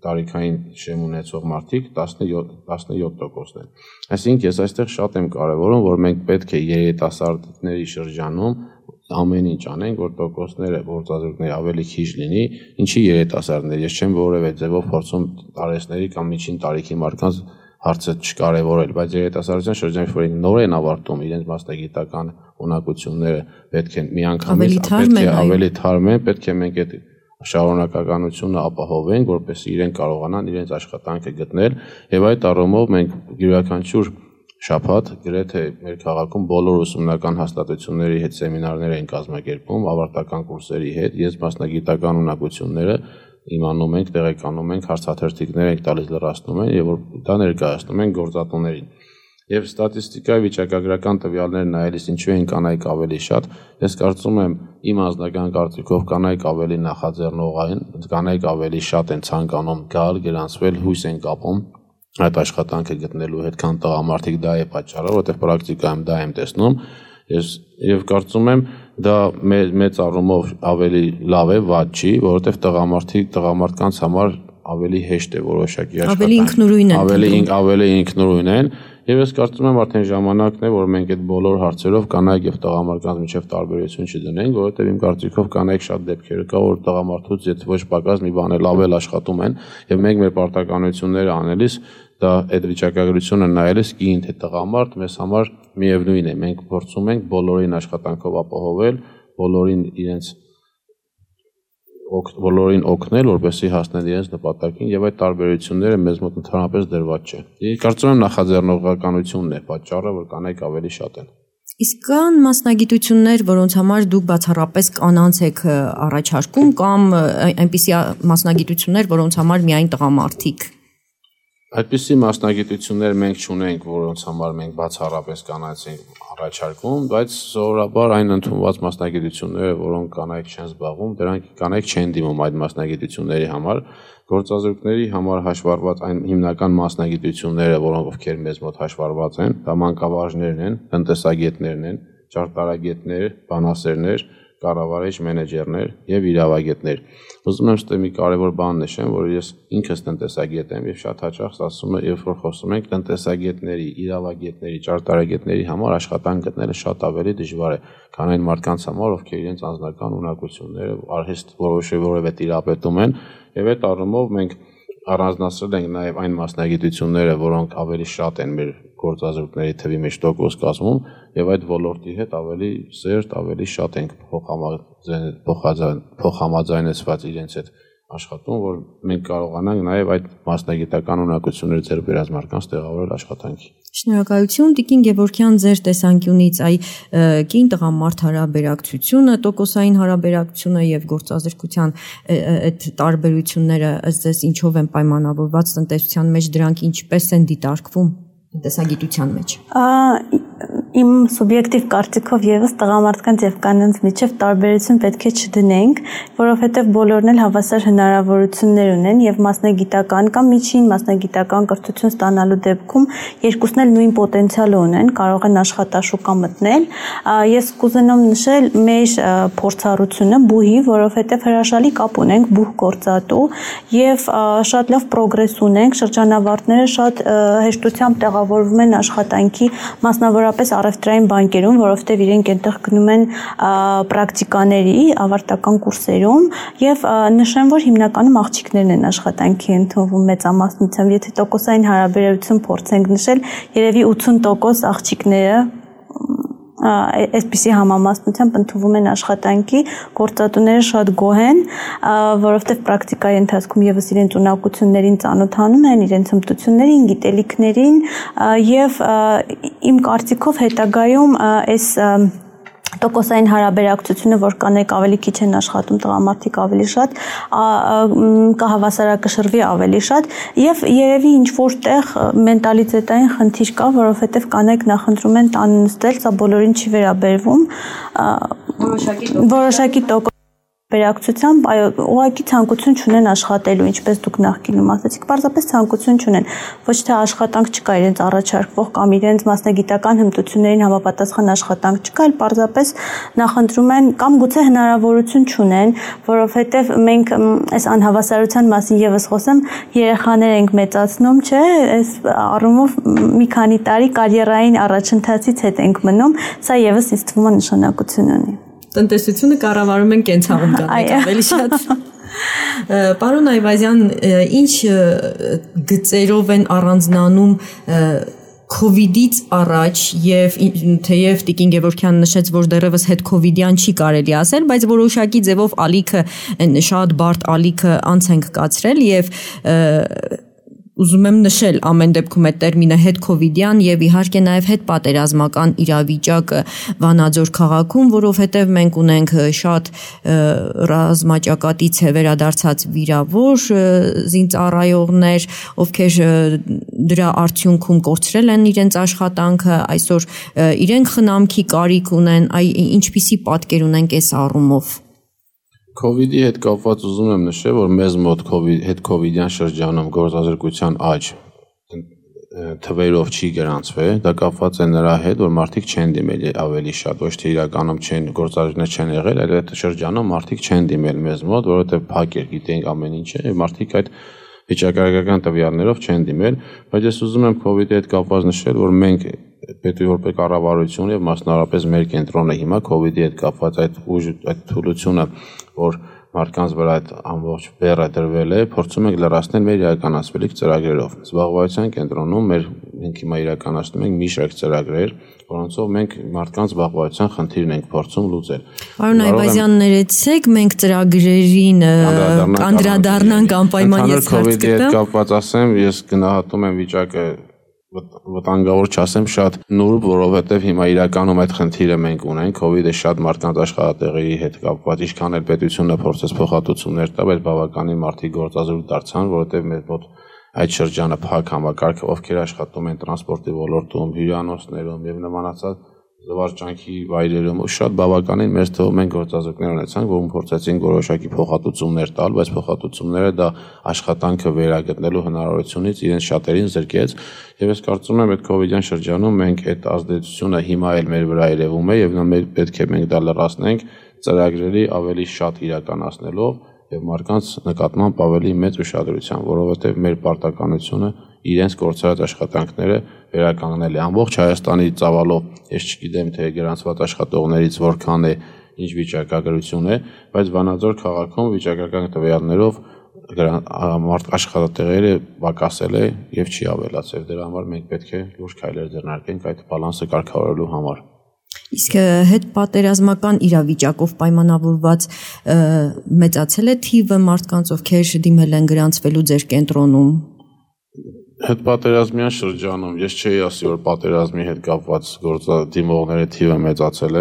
տարիքային շեմ ունեցող մարդիկ 17%-ն են։ Այսինքն ես այստեղ շատ եմ կարևորում, որ մենք պետք է երիտասարդների շրջանում ամեն ինչ անենք, որ տոկոսները գործազուրկների ավելի քիչ լինի, ինչի երիտասարդներ։ Ես չեմ որևէ ձևով փորձում տարեցների կամ միջին տարիքի մարդկանց հարցը չկարևորել, բայց երիտասարդության շրջանում որ նոր են ավարտում իրենց մասնագիտական ունակությունները, պետք է միանգամից ավելի թարմեն, պետք է մենք այդ շարունակականությունը ապահովենք, որպեսզի իրենք կարողանան իրենց աշխատանքը գտնել եւ այդ առումով մենք յուրաքանչյուր շաբաթ գրեթե մեր քաղաքում բոլոր ուսումնական հաստատությունների հետ սեմինարներ են կազմակերպում, ավարտական կուրսերի հետ, ես մասնագիտական ունակությունները իմանում ենք, տեղեկանում ենք, հարցաթերթիկներ ենք տալիս լրացնում են եւ որ դա ներկայացնում են գործատուներին։ Եվ ստատիստիկայի վիճակագրական տվյալներ նայելիս ինչու են կանայք ավելի շատ, ես կարծում եմ իմ անձնական կարծիքով կանայք ավելի նախաձեռնող են, կանայք ավելի շատ են ցանկանում գալ, գրանցվել, հույս են կապում այդ աշխատանքը գտնելու հետ, քան տղամարդիկ, դա է պատճառը, որովհետեւ պրակտիկայում դա եմ տեսնում։ Եվ կարծում եմ դա մեծ առումով ավելի լավ է, վատ չի, որովհետև տղամարդկանց համար ավելի հեշտ է որոշակի աշխատանք, ավելի ինքնուրույն են, եւ ես կարծում եմ արդեն ժամանակն է, որ մենք այդ բոլոր հարցերով կանայք եւ տղամարդկանց միջեւ տարբերություն չդնենք, որովհետեւ իմ կարծիքով կանայք շատ դեպքեր կա, որ տղամարդուց եթե ոչ պակաս մի բան էլ ավել աշխատում են, եւ մենք մեր պարտականությունները անելիս դա այդ վիճակագրությունը նայելիս կին թե տղամարդ մեզ համար միևնույն է, մենք փորձում ենք բոլորին աշխատանքով ապահովել, բոլորին օգնել, որպեսզի հասնեն իրենց նպատակին եւ այդ տարբերությունները մեզ մոտ ընդհանրապես դրված չէ։ Ես կարծում եմ նախաձեռնողականությունն է պատճառը, որ կանայք ավելի շատ են։ Իսկ կան մասնագիտություններ, որոնց համար դուք բացառապես կանանց եք առաջարկում կամ այնպիսի մասնագիտություններ, որոնց համար միայն տղամարդիկ Այդպիսի մասնագիտություններ մենք չունենք, որոնց համար մենք բացառապես կանայք ենք առաջարկում, բայց սովորաբար այն ընդունված մասնագիտությունները, որոնք կանայք չեն զբաղվում, դրանք կանայք չեն դիմում այդ մասնագիտությունների համար, գործազուրկների համար հաշվառված այն հիմնական մասնագիտությունները, որոնք ովքեր մեզ մոտ հաշվառված են, դա մանկավարժներն են, տնտեսագետներն են, ճարտարագետներ, բանասերներ, կառավարիչ մենեջերներ եւ իրավագետներ։ Ուզում եմ ստե մի կարևոր բան նշեմ, որ ես ինքս տնտեսագետ եմ եւ շատ հաճախ ասում եմ, երբ որ խոսում ենք տնտեսագետների, իրավագետների, ճարտարագետների համար աշխատանք գտնելը շատ ավելի դժվար է, քան այն մարդկանց համար, ովքեր իրենց անձնական ունակությունները արհեստ որևէ տիրապետում են եւ այդ առումով մենք առանձնացրել ենք նաեւ այն մասնագիտությունները, որոնք ավելի շատ են մեր գործազուրկների թվի մեջ տոկոս կազմում եւ այդ ոլորտի հետ ավելի սերտ, ավելի շատ ենք փոխհամաձայնեցված իրենց հետ աշխատում, որ մենք կարողանանք նաեւ այդ մասնագիտական ունակությունները ձեռք բերած մարդկանց տեղավորել աշխատանքի։ Շնորհակալություն Տիկին Գևորգյան, ձեր տեսանկյունից կին տղամարդ հարաբերակցությունը, տոկոսային հարաբերակցությունը եւ գործազրկության այդ տարբերությունները ըստ ձեզ ինչով են պայմանավորված տնտեսության մեջ, դրանք ինչպես են դիտարկվում տնտեսագիտության մեջ։ Իմ սուբյեկտիվ կարծիքով եւս տղամարդկանց եւ կանանց միջեւ տարբերություն պետք է չդնենք, որովհետեւ բոլորն էլ հավասար հնարավորություններ ունեն եւ մասնագիտական կամ միջին մասնագիտական կրթություն ստանալու դեպքում երկուսն էլ նույն պոտենցիալը ունեն, կարող են աշխատաշուկա մտնել։ Ես կուզենամ նշել մեր փորձառությունը բուհի, որովհետեւ հրաշալի կապ ունենք բուհ գործատու եւ շատ լավ պրոգրես ունենք, շրջանավարտները շատ հեշտությամբ տեղավորվում են աշխատանքի, մասնավորապես առևտրային բանկերում, որովհետև իրենք այնտեղ գնում են պրակտիկաների ավարտական կուրսերում եւ նշեմ, որ հիմնականում աղջիկներն են աշխատանքի ընդունվում մեծամասնությամբ, եթե տոկոսային հարաբերություն փորձենք նշել, երևի 80% աղջիկները այսպիսի համամասնությամբ ընդունվում են աշխատանքի, գործատուները շատ գոհ են, որովհետև պրակտիկայի ընթացքում եւս իրենց ունակություններին ծանոթանում են, իրենց հմտություններին, գիտելիքներին եւ իմ կարծիքով հետագայում այս տոկոսային հարաբերակցությունը, որ կանեք ավելի քիչ են աշխատում տղամարդիկ ավելի շատ, կհավասարակշռվի ավելի շատ եւ երևի ինչ որտեղ մենտալիտետային խնդիր կա, որովհետեւ կանեք նախընտրում են տան նստել, սա բոլորին չի վերաբերվում, որոշակի տոկոս Վերակցությամբ ուղղակի ցանկություն չունեն աշխատելու, ինչպես դուք նախկինում ասացիք, պարզապես ցանկություն չունեն, ոչ թե աշխատանք չկա իրենց առաջարկվող կամ իրենց մասնագիտական հմտություններին համապատասխան աշխատանք չկա, այլ պարզապես նախընտրում են կամ գուցե հնարավորություն չունեն, որովհետև մենք այս անհավասարության մասին եւս խոսեմ, երեխաներ ենք մեծացնում, չէ, այս առումով մի քանի տարի կարիերային առաջընթացից հետ ենք մնում, սա եւս ինձ թվում է նշանակություն ունի։ Տնտեսությունը կառավարում են կենցաղում կանեք ավելի շատ։ Պարոն Այվազյան, ինչ գծերով են առանձնանում COVID-ից առաջ եւ թեև Տիկին Գևորգյան նշեց, որ դեռևս հետ COVID-յան չի կարելի ասել, բայց որոշակի ձևով ալիքը շատ բարդ ալիքը անց ենք կացրել եւ ուզում եմ նշել ամեն դեպքում այդ տերմինը հետ COVID-յան եւ իհարկե նաեւ հետ պատերազմական իրավիճակը Վանաձոր քաղաքում, որովհետեւ մենք ունենք շատ ռազմաճակատից վերադարձած վիրավոր զինծառայողներ, ովքեր դրա արդյունքում կորցրել են իրենց աշխատանքը, այսօր իրենք խնամքի կարիք ունեն, ինչպիսի պատկեր ունենք այս առումով։ COVID-ի հետ կապված ուզում եմ նշել, որ մեզ մոտ հետ COVID-յան շրջանում գործազրկության աճ թվերով չի գրանցվել, դա կապված է նրա հետ, որ մարդիկ չեն դիմել ավելի շատ, ոչ թե իրականում գործարքներ չեն եղել, այլ այդ շրջանում մարդիկ չեն դիմել մեզ մոտ, որովհետև փակ էր, գիտենք ամեն ինչը, եւ մարդիկ այդ վիճակագրական տվյալներով չեն դիմել, բայց ես ուզում եմ COVID-ի հետ կապված նշել, որ մենք պետք է որպես կառավարություն եւ մասնավորապես մեր կենտրոնը հիմա COVID-ի հետ կապված այդ թուլությունը, որ մարդկանց վրա այդ ամբողջ բեռը դրվել է, փորձում ենք լրացնել մեր իրականացվելիք ծրագրերով։ Զբաղվածության կենտրոնում մենք հիմա իրականացնում ենք մի շարք ծրագրեր, որոնցով մենք մարդկանց զբաղվածության խնդիրն ենք փորձում լուծել։ Պարոն Այվազյան, ներեցեք, մենք ծրագրերին անդրադառնանք անպայման ես հարց կտամ։ COVID-ի հետ կապված ասեմ, ես գնահատում եմ վիճակը վտանգավոր չասեմ շատ նուրբ, որովհետև հիմա իրականում այդ խնդիրը մենք ունենք, COVID-ը շատ մարդկանց աշխատատեղերի հետ կապված, ինչքան էլ պետությունը փորձեց փոխհատուցումներ տալ, բայց բավականին մարդիկ գործազուրկ դարձան, որովհետև մեր մոտ այդ շրջանը փակ համակարգ, ովքեր աշխատում են տրանսպորտի ոլորտում, հյուրանոցներում եւ նմանացած զվարճանքի վայրերում, շատ բավականին մեծ թվով մենք գործազուրկներ ունեցանք, որոնք փորձեցին որոշակի փոխհատուցումներ տալ, բայց փոխհատուցումները դա աշխատանքը վերագտնելու հնարավորությունից իրենց շատերին զրկեց, եւ ես կարծում եմ այդ COVID-յան շրջանում մենք այդ ազդեցությունը հիմա էլ մեր վրա երևում է եւ մենք պետք է մենք դա լրացնենք ծրագրերի ավելի շատ իրականացնելով եւ մարդկանց նկատմամբ ավելի մեծ ուշադրությամբ, որովհետեւ մեր պարտականությունը իրենց կորցրած աշխատանքները վերականգնել է ամբողջ Հայաստանի ծավալով, ես չգիտեմ թե գրանցված աշխատողներից որքան է, ինչ վիճակագրություն է, բայց Վանաձոր քաղաքում վիճակական տվյալներով աշխատատեղերը պակասել է եւ չի ավելացել։ Դրա համար մենք պետք է լուրջ քայլեր ձեռնարկենք այդ բալանսը կարգավորելու համար։ Իսկ հետ պատերազմական իրավիճակով պայմանավորված մեծացել է թիվը մարդկանց, ովքեր դիմել են գրանցվելու ձեր կենտրոնում։ Հետ պատերազմյան շրջանում ես չէի ասի, որ պատերազմի հետ կապված գործադիմողների թիվը մեծացել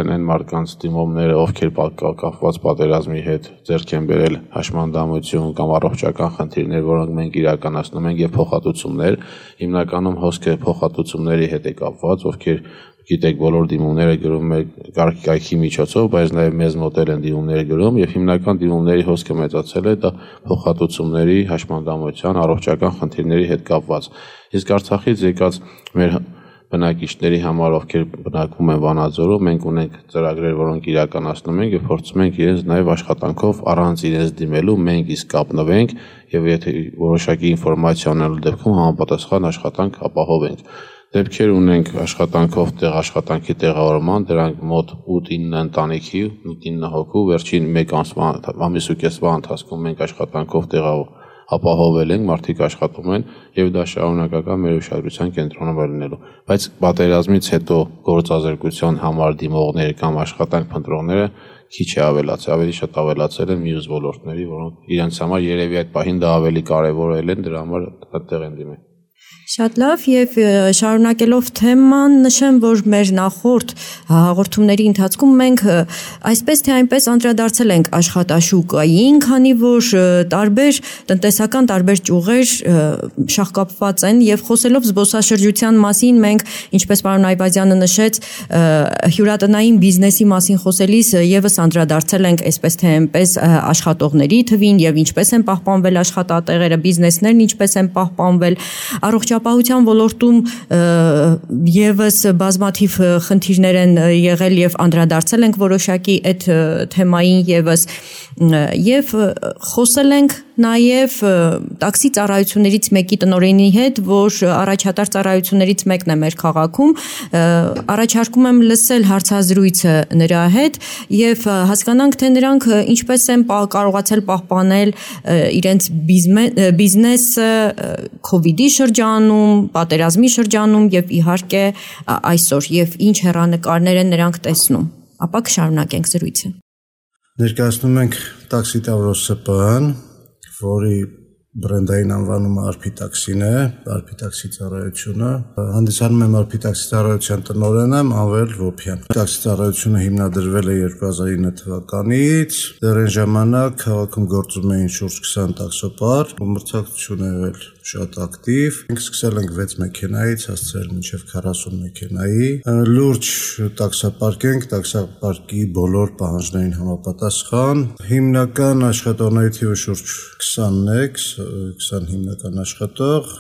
են այն մարդկանց դիմումները, ովքեր կապված պատերազմի հետ ձեռք են բերել հաշմանդամություն կամ առողջական խնդիրներ, որոնք մենք իրականացնում ենք եւ փոխհատուցումներ, հիմնականում հոսքը փոխհատուցումների հետ է կապված, ովքեր գիտեք բոլոր դիմումները գրում է կայքի միջոցով, բայց նաև մեզ մոտ են դիմումները գրում եւ հիմնական դիմումների հոսքը մեծացել է դա փոխհատուցումների, հաշմանդամության, առողջական խնդիրների հետ կապված։ Իսկ Արցախից եկած մեր բնակիչների համար, ովքեր բնակվում են Վանաձորում, մենք ունենք ծրագրեր, որոնք իրականացնում ենք եւ փորձում ենք իրենց նաև աշխատանքով առանց իրենց դիմելու մենք իսկ կապնվենք եւ եթե որոշակի ինֆորմացիա ունենալու դեպքում համապատասխան աշխատանք ապահովենք։ Դեպքեր ունենք աշխատանքով աշխատանքի տեղավորման, դրանք մոտ 8-9 ընտանիքի, 8-9 հոգու, վերջին 1 ամիսու կեսվա ընթացքում մենք աշխատանքով ապահովել ենք, մարդիկ աշխատում են եւ դա շարունակական մեր ուշադրության կենտրոնում է լինելու։ Բայց պատերազմից հետո գործազրկության համար դիմողներ կամ աշխատանք փնտրողները քիչ է ավելացել, ավելի շատ ավելացել են մյուս ոլորտների, որոնք իրենց համար երևի այդ պահին դա ավելի կարեւորել են, դրա համար այդտեղ են դիմել։ Շատ լավ եւ շարունակելով թեման նշեմ, որ մեր նախորդ հաղորդումների ընթացքում մենք այսպես թե այնպես անդրադարձել ենք աշխատաշուկային, քանի որ տարբեր տնտեսական տարբեր ճյուղեր շահկապված են եւ խոսելով զբոսաշրջության մասին մենք, ինչպես պարոն Այվազյանը նշեց, հյուրատնային բիզնեսի մասին խոսելիս եւս անդրադարձել ենք այսպես թե այնպես աշխատողների թվին եւ ինչպես են պահպանվել աշխատատեղերը, բիզնեսներն ինչպես են պահպանվել, առողջապահության ոլորտում եւս բազմաթիվ խնդիրներ են եղել եւ անդրադարձել ենք որոշակի այդ թեմային եւս եւ խոսել ենք նաեւ տաքսի ծառայություններից մեկի տնօրենի հետ, որ առաջատար ծառայություններից մեկն է մեր քաղաքում, առաջարկում եմ լսել հարցազրույցը նրա հետ եւ հասկանանք, թե նրանք ինչպես են կարողացել պահպանել իրենց բիզնեսը COVID-ի շրջանում, պատերազմի շրջանում եւ իհարկե այսօր եւ ինչ հեռանկարներ են նրանք տեսնում։ Ապա կշարունակենք զրույցը։ Ներկայացնում ենք տաքսի Տավրոս ՍՊԸ-ն, որի բրենդային անվանումը Արփի տաքսին է, Արփի տաքսի ծառայությունը։ Հանդիսանում եմ Արփի տաքսի ծառայության տնօրենը Անվեր Վոփյան։ Տաքսի ծառայությունը հիմնադրվել է 2009 թվականից։ Դեռ այն ժամանակ քաղաքում գործում էին շուրջ 20 տաքսոպար, մրցակցություն եղել շատ ակտիվ։ Մենք սկսել ենք 6 մեքենայից, հասցրել մինչև 40 մեքենայի։ Լուրջ տաքսապարկ ենք, տաքսապարկի բոլոր պահանջներին համապատասխան։ Հիմնական աշխատողների թիվը շուրջ 20-ն է, 20 հիմնական աշխատող,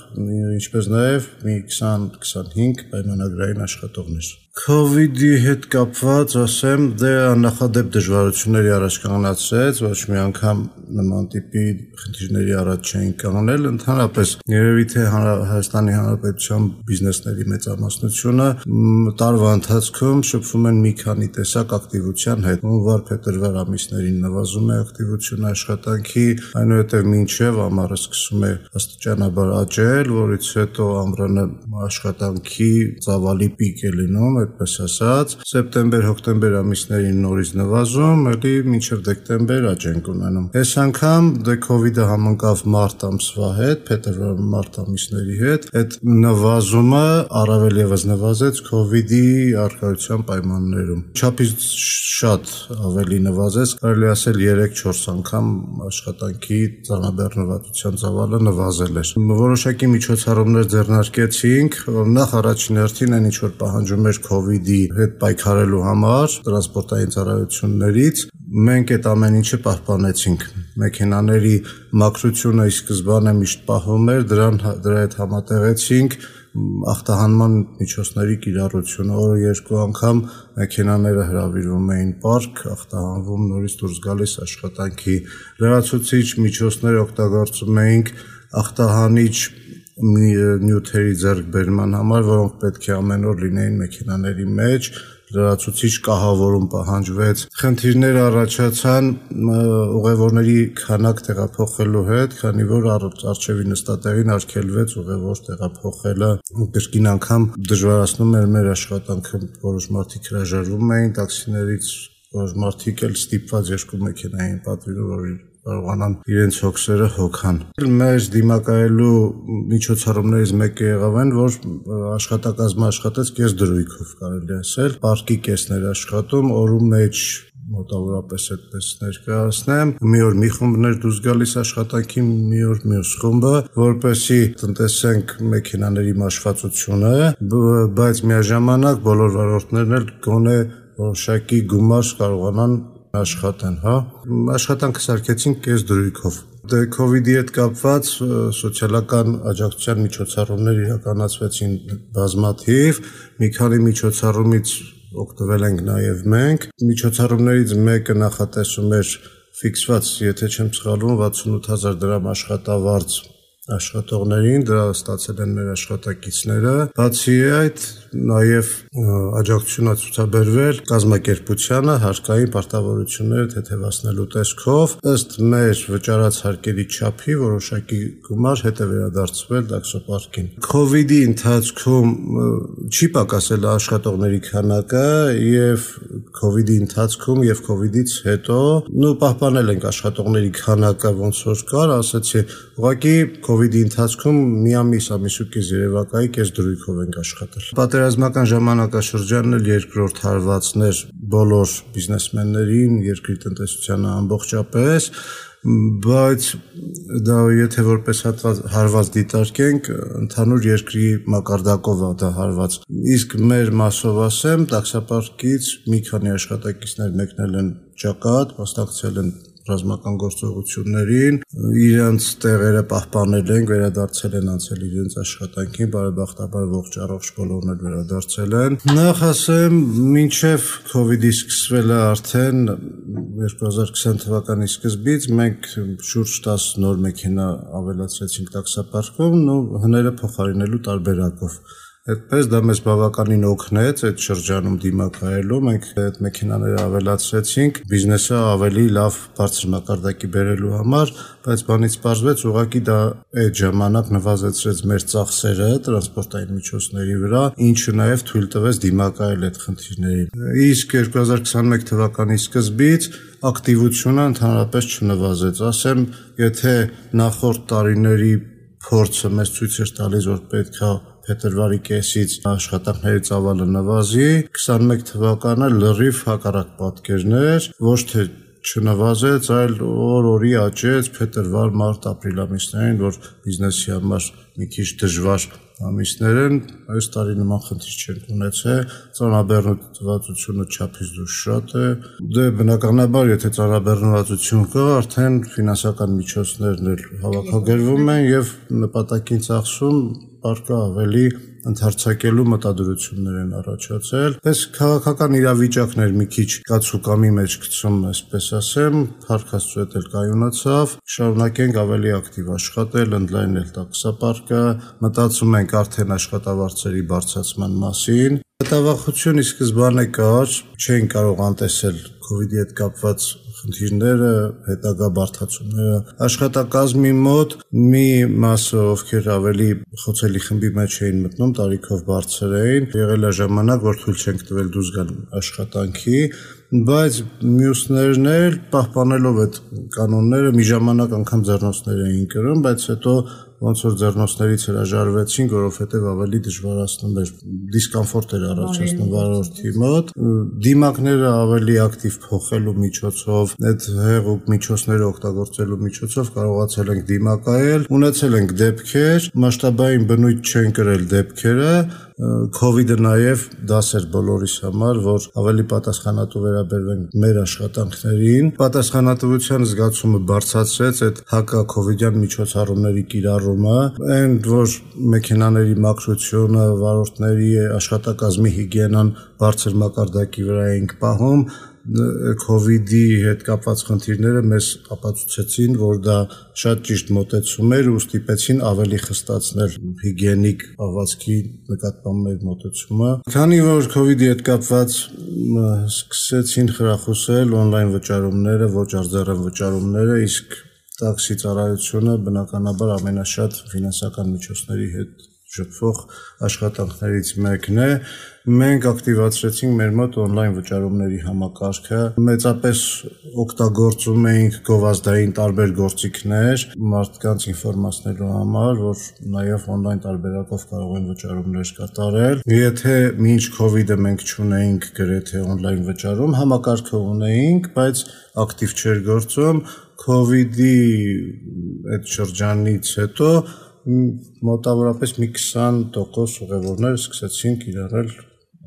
ինչպես նաև մի 20-25 պայմանագրային աշխատողներ։ COVID-ի հետ կապված ասեմ, դե աննախադեպ դժվարությունների առաջ կանգնացրեց, ոչ մի անգամ նման տիպի խնդիրների առաջ չէին կանգնել, ընդհանրապես երևի թե Հայաստանի Հանրապետության բիզնեսների մեծամասնությունը տարվա ընթացքում շփվում են մի քանի տեսակ ակտիվության հետ։ Հունվար-փետրվար ամիսներին նվազում է ակտիվությունը աշխատանքի, այնուհետև մինչև ամառը սկսում է աստիճանաբար աճել, որից հետո ամռանը աշխատանքի ծավալի պիկ է լինում, այդպես ասած, սեպտեմբեր-հոկտեմբեր ամիսներին նորից նվազում, ելի մինչև դեկտեմբեր աճ ենք ունենում։ Այս անգամ դե COVID-ը համընկավ մարտ ամսվա հետ, փետրվար-մարտ ամիսների հետ, այդ նվազումը առավել եւս նվազեց COVID-ի առկայության պայմաններում։ Չափից շատ ավելի նվազեց, կարելի ասել 3-4 անգամ աշխատանքի ծանրաբեռնվածության ծավալը նվազել էր։ Որոշակի միջոցառումներ ձեռնարկեցինք, նախ առաջին հերթին այն ինչ որ պահանջում էր COVID-ի հետ պայքարելու համար տրանսպորտային ծառայություններից մենք այդ ամեն ինչը պահպանեցինք։ Մեքենաների մաքրությունը ի սկզբանե միշտ պահվում էր, դրա հետ համատեղեցինք ախտահանման միջոցների կիրառությունը, օրը 2 անգամ մեքենաները հրավիրվում էին պարկ, ախտահանվում, նորից դուրս գալիս աշխատանքի։ Լրացուցիչ միջոցներ օգտագործում էինք ախտահանիչ նյութերի ձեռքբերման համար, որոնք պետք է ամեն օր լինեին մեքենաների մեջ, լրացուցիչ կահավորում պահանջվեց։ Խնդիրներ առաջացան ուղևորների քանակ տեղափոխելու հետ, քանի որ առջևի նստատեղին արգելվեց ուղևոր տեղափոխելը։ Կրկին անգամ դժվարացնում էր մեր աշխատանքը, որոշ մարդիկ հրաժարվում էին տաքսիներից, որոշ մարդիկ էլ ստիպված երկու մեքենա էին պատվիրում, որ կարողանան իրենց հոգսերը հոգան։ Մեր դիմակայելու միջոցառումներից մեկը եղավ այն, որ աշխատակազմը աշխատեց կես դրույքով, կարելի ասել, պարկի կեսն էր աշխատում, օրու մեջ մոտավորապես այդպես ներկայացնեմ։ Մի օր մի խումբն էր դուրս գալիս աշխատանքի, մի օր մյուս խումբը, որպեսզի տնտեսենք մեքենաների մաշվածությունը, բայց միաժամանակ բոլոր վարորդներն էլ գոնե որոշակի գումար կարողանան աշխատեն, հա։ Աշխատանքը սարքեցինք կես դրույքով։ Կովիդի հետ կապված սոցիալական աջակցության միջոցառումներ իրականացվեցին բազմաթիվ, մի քանի միջոցառումից օգտվել ենք նաև մենք։ Միջոցառումներից մեկը նախատեսում էր ֆիքսված, եթե չեմ սխալվում, 68000 դրամ աշխատավարձ աշխատողներին, դրա ստացել են մեր աշխատակիցները։ Բացի այդ, նաև աջակցություն է ցուցաբերվել կազմակերպությանը հարկային պարտավորությունները թեթևացնելու տեսքով, ըստ մեր վճարած հարկերի չափի որոշակի գումար հետ է վերադարձվել տաքսոպարկին։ Քովիդի ընթացքում չի պակասել աշխատողների քանակը եւ քովիդի ընթացքում եւ քովիդից հետո պահպանել ենք աշխատողների քանակը ոնց որ կար, ասացի, ուղղակի քովիդի ընթացքում մի ամիս ու կես երևակայի կես դրույքով ենք աշխատել։ Պատերազմական ժամանակաշրջանն էլ երկրորդ հարվածն էր բոլոր բիզնեսմեններին, երկրի տնտեսությանը ամբողջապես, բայց դա եթե որպես հարված դիտարկենք, ընդհանուր երկրի մակարդակով է դա հարված։ Իսկ մեր մասով ասեմ, տաքսոպարկից մի քանի աշխատակիցներ մեկնել են ճակատ, մասնակցել են ռազմական գործողություններին, իրենց տեղերը պահպանել են, վերադարձել են անցել իրենց աշխատանքին, բարեբախտաբար ողջ առողջ բոլորն էլ վերադարձել են։ Նախ ասեմ, մինչև քովիդի սկսվելը արդեն 2020 թվականի սկզբից մենք շուրջ 10 նոր մեքենա ավելացրեցինք տաքսոպարկում, հները փոխարինելու տարբերակով։ Այդպես դա մեզ բավականին օգնեց այդ շրջանում դիմակայելու, մենք այդ մեքենաները ավելացրեցինք բիզնեսը ավելի լավ բարձր մակարդակի բերելու համար, բայց բանից պարզվեց ուղղակի դա այդ ժամանակ նվազեցրեց մեր ծախսերը տրանսպորտային միջոցների վրա, ինչը նաև թույլ տվեց դիմակայել այդ խնդիրներին։ Իսկ 2021 թվականի սկզբից ակտիվությունը ընդհանրապես չնվազեց, ասեմ, եթե նախորդ տարիների փորձը մեզ ցույց էր տալիս, որ պետք է փետրվարի կեսից աշխատանքների ծավալը նվազի, 21 թվականը լրիվ հակառակ պատկերն էր, ոչ թե չնվազեց, այլ օր-օրի աճեց փետրվար, մարտ, ապրիլ ամիսներին, որ բիզնեսի համար մի քիչ դժվար ամիսներ են, այս տարի նման խնդիր չենք ունեցել, ծանրաբեռնվածությունը չափից դուրս շատ է, դե բնականաբար, եթե ծանրաբեռնվածություն կա, արդեն ֆինանսական միջոցներն էլ հավաքագրվում են եւ նպատակին ծախսում պարկը ավելի ընդարձակելու մտադրություններ են առաջացել։ Պես քաղաքական իրավիճակներ մի քիչ կացուկամի մեջ գցում, այսպես ասեմ, Փառք Աստծո հետ էլ կայունացավ, շարունակենք ավելի ակտիվ աշխատել, ընդլայնել տաքսոպարկը, մտածում ենք արդեն աշխատավարձերի բարձրացման մասին։ Մտավախություն ի սկզբանե կար, չէին կարող անտեսել քովիդի հետ կապված խնդիրները, հետագա բարդացումները։ Աշխատակազմի մոտ մի մասը, ովքեր ավելի խոցելի խմբի մեջ էին մտնում, տարիքով բարձր էին, եղել է ժամանակ, որ թույլ չենք տվել դուրս գալ աշխատանքի, բայց մյուսներն էլ պահպանելով այդ կանոնները մի ժամանակ անգամ ձեռնոցներ էին կրում, բայց հետո ոնց որ ձեռնոցներից հրաժարվեցինք, որովհետև ավելի դժվարացնում էր, դիսկոմֆորտ էր առաջացնում վարորդի մոտ, դիմակները ավելի ակտիվ փոխելու միջոցով, այդ հեղուկ միջոցները օգտագործելու միջոցով կարողացել ենք դիմակայել, ունեցել ենք դեպքեր, մասշտաբային բնույթ չեն կրել դեպքերը, Քովիդը նաև դաս էր բոլորիս համար, որ ավելի պատասխանատու վերաբերվենք մեր աշխատանքներին, պատասխանատվության զգացումը բարձրացրեց այդ հակա-քովիդյան միջոցառումների կիրառումը, այն որ մեքենաների մաքրությունը, վարորդների աշխատակազմի հիգիենան բարձր մակարդակի վրա էինք պահում, COVID-ի հետ կապված խնդիրները մեզ ապացուցեցին, որ դա շատ ճիշտ մոտեցում էր ու ստիպեցին ավելի խստացնել հիգիենիկ պահվածքի նկատմամբ մեր մոտեցումը։ Քանի որ COVID-ի հետ կապված սկսեցին խրախուսել on-line վճարումները, ոչ արձարեմ վճարումները, իսկ տաքսի ծառայությունը բնականաբար ամենաշատ ֆինանսական միջոցների հետ շփվող աշխատանքներից մեկն է։ Մենք ակտիվացրեցինք մեր մոտ on-line վճարումների համակարգը, մեծապես օգտագործում էինք գովազդային տարբեր գործիքներ մարդկանց ինֆորմացնելու համար, որ նաև on-line տարբերակով կարող են վճարումներ կատարել։ Եթե մինչ COVID-ը մենք չունեինք գրեթե on-line վճարում, համակարգը ունեինք, բայց ակտիվ չէր գործում։ COVID-ի այդ շրջանից հետո մոտավորապես մի 20% ուղևորներ սկսեցին կիրառել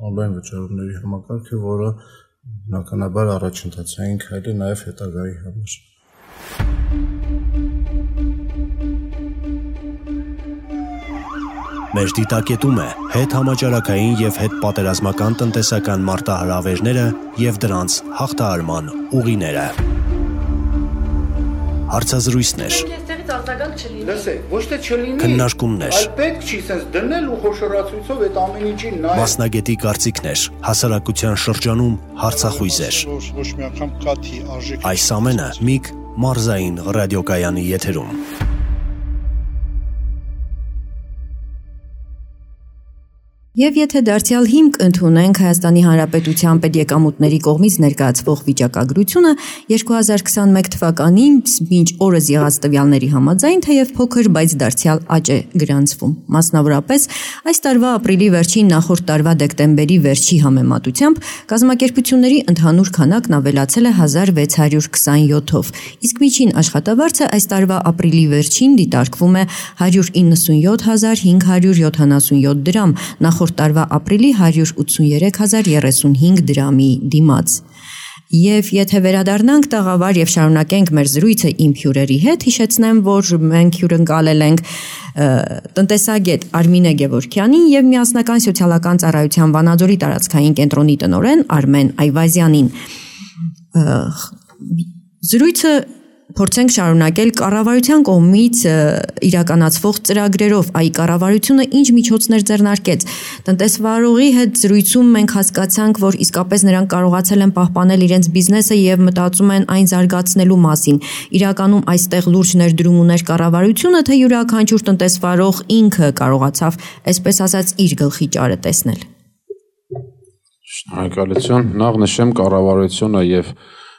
on-line վճարումների համակարգը, որը բնականաբար առաջընթացային քայլ է նաև հետագայի համար։ Մեր դիտակետում է հետհամաճարակային եւ հետպատերազմական տնտեսական մարտահրավերները եւ դրանց հաղթահարման ուղիները։ Հարցազրույցներ, ոչ թե չլինի, քննարկումներ, այլ պետք չի sense դնել ու խոշորացույցով այդ ամեն ինչին նայել։ մասնագետի կարծիքներ, հասարակության շրջանում հարցախույզեր։ Ոչ մի անգամ կաթի արժեք։ Այս ամենը Միգ մարզային ռադիոկայանի եթերում։ Եվ եթե դարձյալ հիմք ընդունենք Հայաստանի Հանրապետության պետեկամուտների կողմից ներկայացվող վիճակագրությունը 2021 թվականին մինչ օրս եղած տվյալների համաձայն, թեև փոքր, բայց դարձյալ աճ է գրանցվում։ Մասնավորապես, այս տարվա ապրիլի վերջին նախորդ տարվա դեկտեմբերի վերջի համեմատությամբ կազմակերպությունների ընդհանուր քանակն ավելացել է 1627-ով, իսկ միջին աշխատավարձը այս տարվա ապրիլի վերջին դիտարկվում է 197577 դրամ, նախորդ տարվա ապրիլի 183035 դրամի դիմաց։ Եվ եթե վերադառնանք տաղավար եւ շարունակենք մեր զրույցը իմ հյուրերի հետ, հիշեցնեմ, որ մենք հյուրընկալել ենք տնտեսագետ Արմինե Գևորգյանին եւ միասնական սոցիալական ծառայության Վանաձորի տարածքային կենտրոնի տնօրեն Արմեն Այվազյանին։ Զրույցը փորձենք շարունակել կառավարության կողմից իրականացվող ծրագրերով, այ կառավարությունը ինչ միջոցներ ձեռնարկեց։ Տնտեսվարողի հետ զրույցում մենք հասկացանք, որ իսկապես նրանք կարողացել են պահպանել իրենց բիզնեսը եւ մտածում են այն զարգացնելու մասին։ Իրականում այստեղ լուրջ ներդրում ուներ կառավարությունը, թե յուրաքանչյուր տնտեսվարող ինքը կարողացավ, այսպես ասած, իր գլխի ճարը տեսնել։ Շնորհակալություն։ Նախ նշեմ կառավարությունը եւ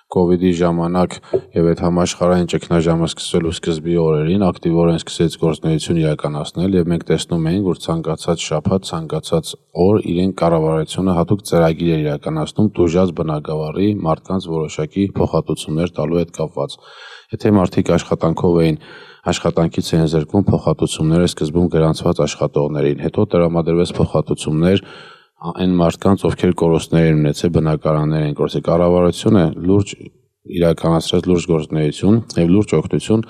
COVID-ի ժամանակ եւ այդ համաշխարհային ճգնաժամը սկսվելու սկզբի օրերին ակտիվորեն սկսեց գործունեություն իրականացնել եւ մենք տեսնում էինք, որ ցանկացած շաբաթ, ցանկացած օր իրեն կառավարությունը հատուկ ծրագիր էր իրականացնում դժուժած բնակավարի մարդկանց որոշակի փոխհատուցումներ տալու հետ կապված։ Եթե մարդիկ աշխատանքով էին աշխատանքից են զրկվում, փոխհատուցումները սկզբում գրանցված աշխատողներին, հետո տրամադրվեց փոխհատուցումներ այն մարդկանց, ովքեր կորուստներ են ունեցել, բնակարաններ են կորցրել։ Կառավարությունը լուրջ իրականացրեց լուրջ գործունեություն եւ լուրջ օգնություն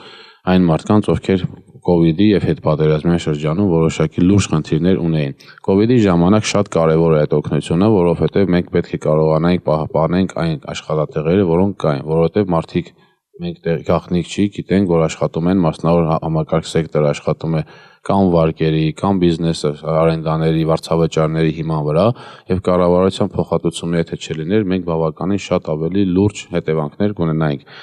այն մարդկանց, ովքեր COVID-ի եւ հետպատերազմյան շրջանում որոշակի լուրջ խնդիրներ ունեին։ COVID-ի ժամանակ շատ կարեւոր է այդ օգնությունը, որովհետեւ մենք պետք է կարողանանք պահպանենք այն աշխատատեղերը, որոնք կային, որովհետեւ մարդիկ մենք գաղտնիք չի, գիտենք, որ աշխատում են մասնավոր համակարգ սեկտորը աշխատում է կամ վարկերի, կամ բիզնեսը, արենդաների, վարձավճարների հիման վրա եւ կառավարության փոխհատուցումները եթե չլիներ, մենք բավականին շատ ավելի լուրջ հետևանքներ կունենայինք։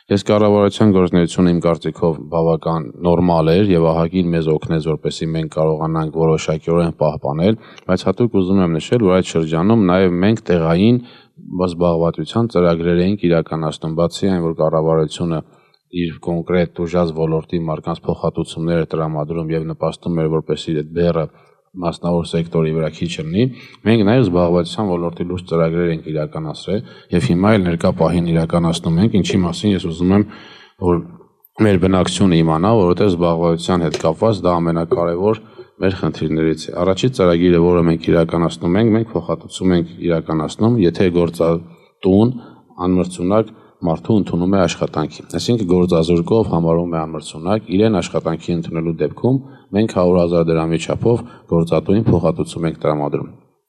Ես կառավարության գործունեությունը իմ կարծիքով բավական նորմալ էր եւ ահագին մեզ օգնեց, որպեսզի մենք կարողանանք որոշակիորեն պահպանել, բայց հատուկ ուզում եմ նշել, որ այդ շրջանում նաեւ մենք տեղային զբաղվածության ծրագրեր էինք իրականացնում, բացի այն, որ կառավարությունը իր կոնկրետ ուժած ոլորտի մարդկանց փոխհատուցումները տրամադրում եւ նպաստում էր, որպեսզի այդ բեռը մասնավոր սեկտորի վրա քիչ լինի, մենք նաեւ զբաղվածության ոլորտի լուրջ ծրագրեր ենք իրականացրել եւ հիմա էլ ներկա պահին իրականացնում ենք, ինչի մասին ես ուզում եմ, որ մեր բնակչությունը իմանա, որովհետեւ զբաղվածության հետ կապված դա ամենակարևոր մեր խնդիրներից է։ Առաջի ծրագիրը, որը մենք իրականացնում ենք, մենք փոխհատուցում ենք իրականացնում, եթե գործատուն անմրցունակ մարդու ընդունում է աշխատանքի։ Այսինքն գործազուրկով համարում է անմրցունակ, իրեն աշխատանքի ընդունելու դեպքում մենք 100,000 դրամի չափով գործատուին փոխհատուցում ենք տրամադրում։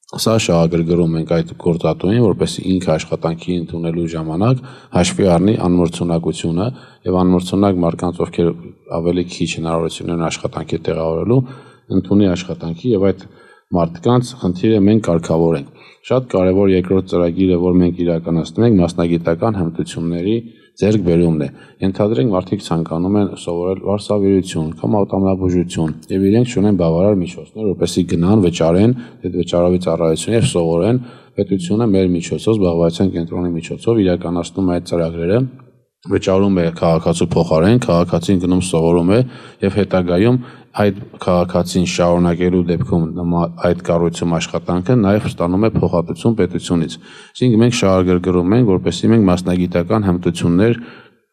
Սա շահագրգռում ենք այդ գործատուին, որպեսզի ինքը աշխատանքի ընդունելու ժամանակ հաշվի առնի անմրցունակությունը եւ անմրցունակ մարդկանց, ովքեր ավելի քիչ հնարավորություն ունեն աշխատանքի տեղավորելու, ընդունի աշխատանքի եւ այդ մարդկանց խնդիրը մենք կարգավորենք։ Շատ կարևոր երկրորդ ծրագիրը, որ մենք իրականացնում ենք, մասնագիտական հմտությունների ձեռքբերումն է։ Ենթադրենք մարդիկ ցանկանում են սովորել վարսավիրություն կամ ավտոմոբիլաբուժություն եւ իրենք ունեն բավարար միջոցներ, որպեսզի գնան, վճարեն այդ վճարովի ծառայություն եւ սովորեն։ Պետությունը մեր միջոցով, զբաղվածության կենտրոնի միջոցով իրականացնում է այդ ծրագրերը, վճարում է քաղաքացու փոխարեն, քաղաքացին գնում սովորում է եւ հետագայում այդ քաղաքացին շարունակելու դեպքում այդ կառույցում աշխատանքը նաև ստանում է փոխհատուցում պետությունից։ Այսինքն մենք շահագրգռում ենք, որպեսզի մենք մասնագիտական հմտություններ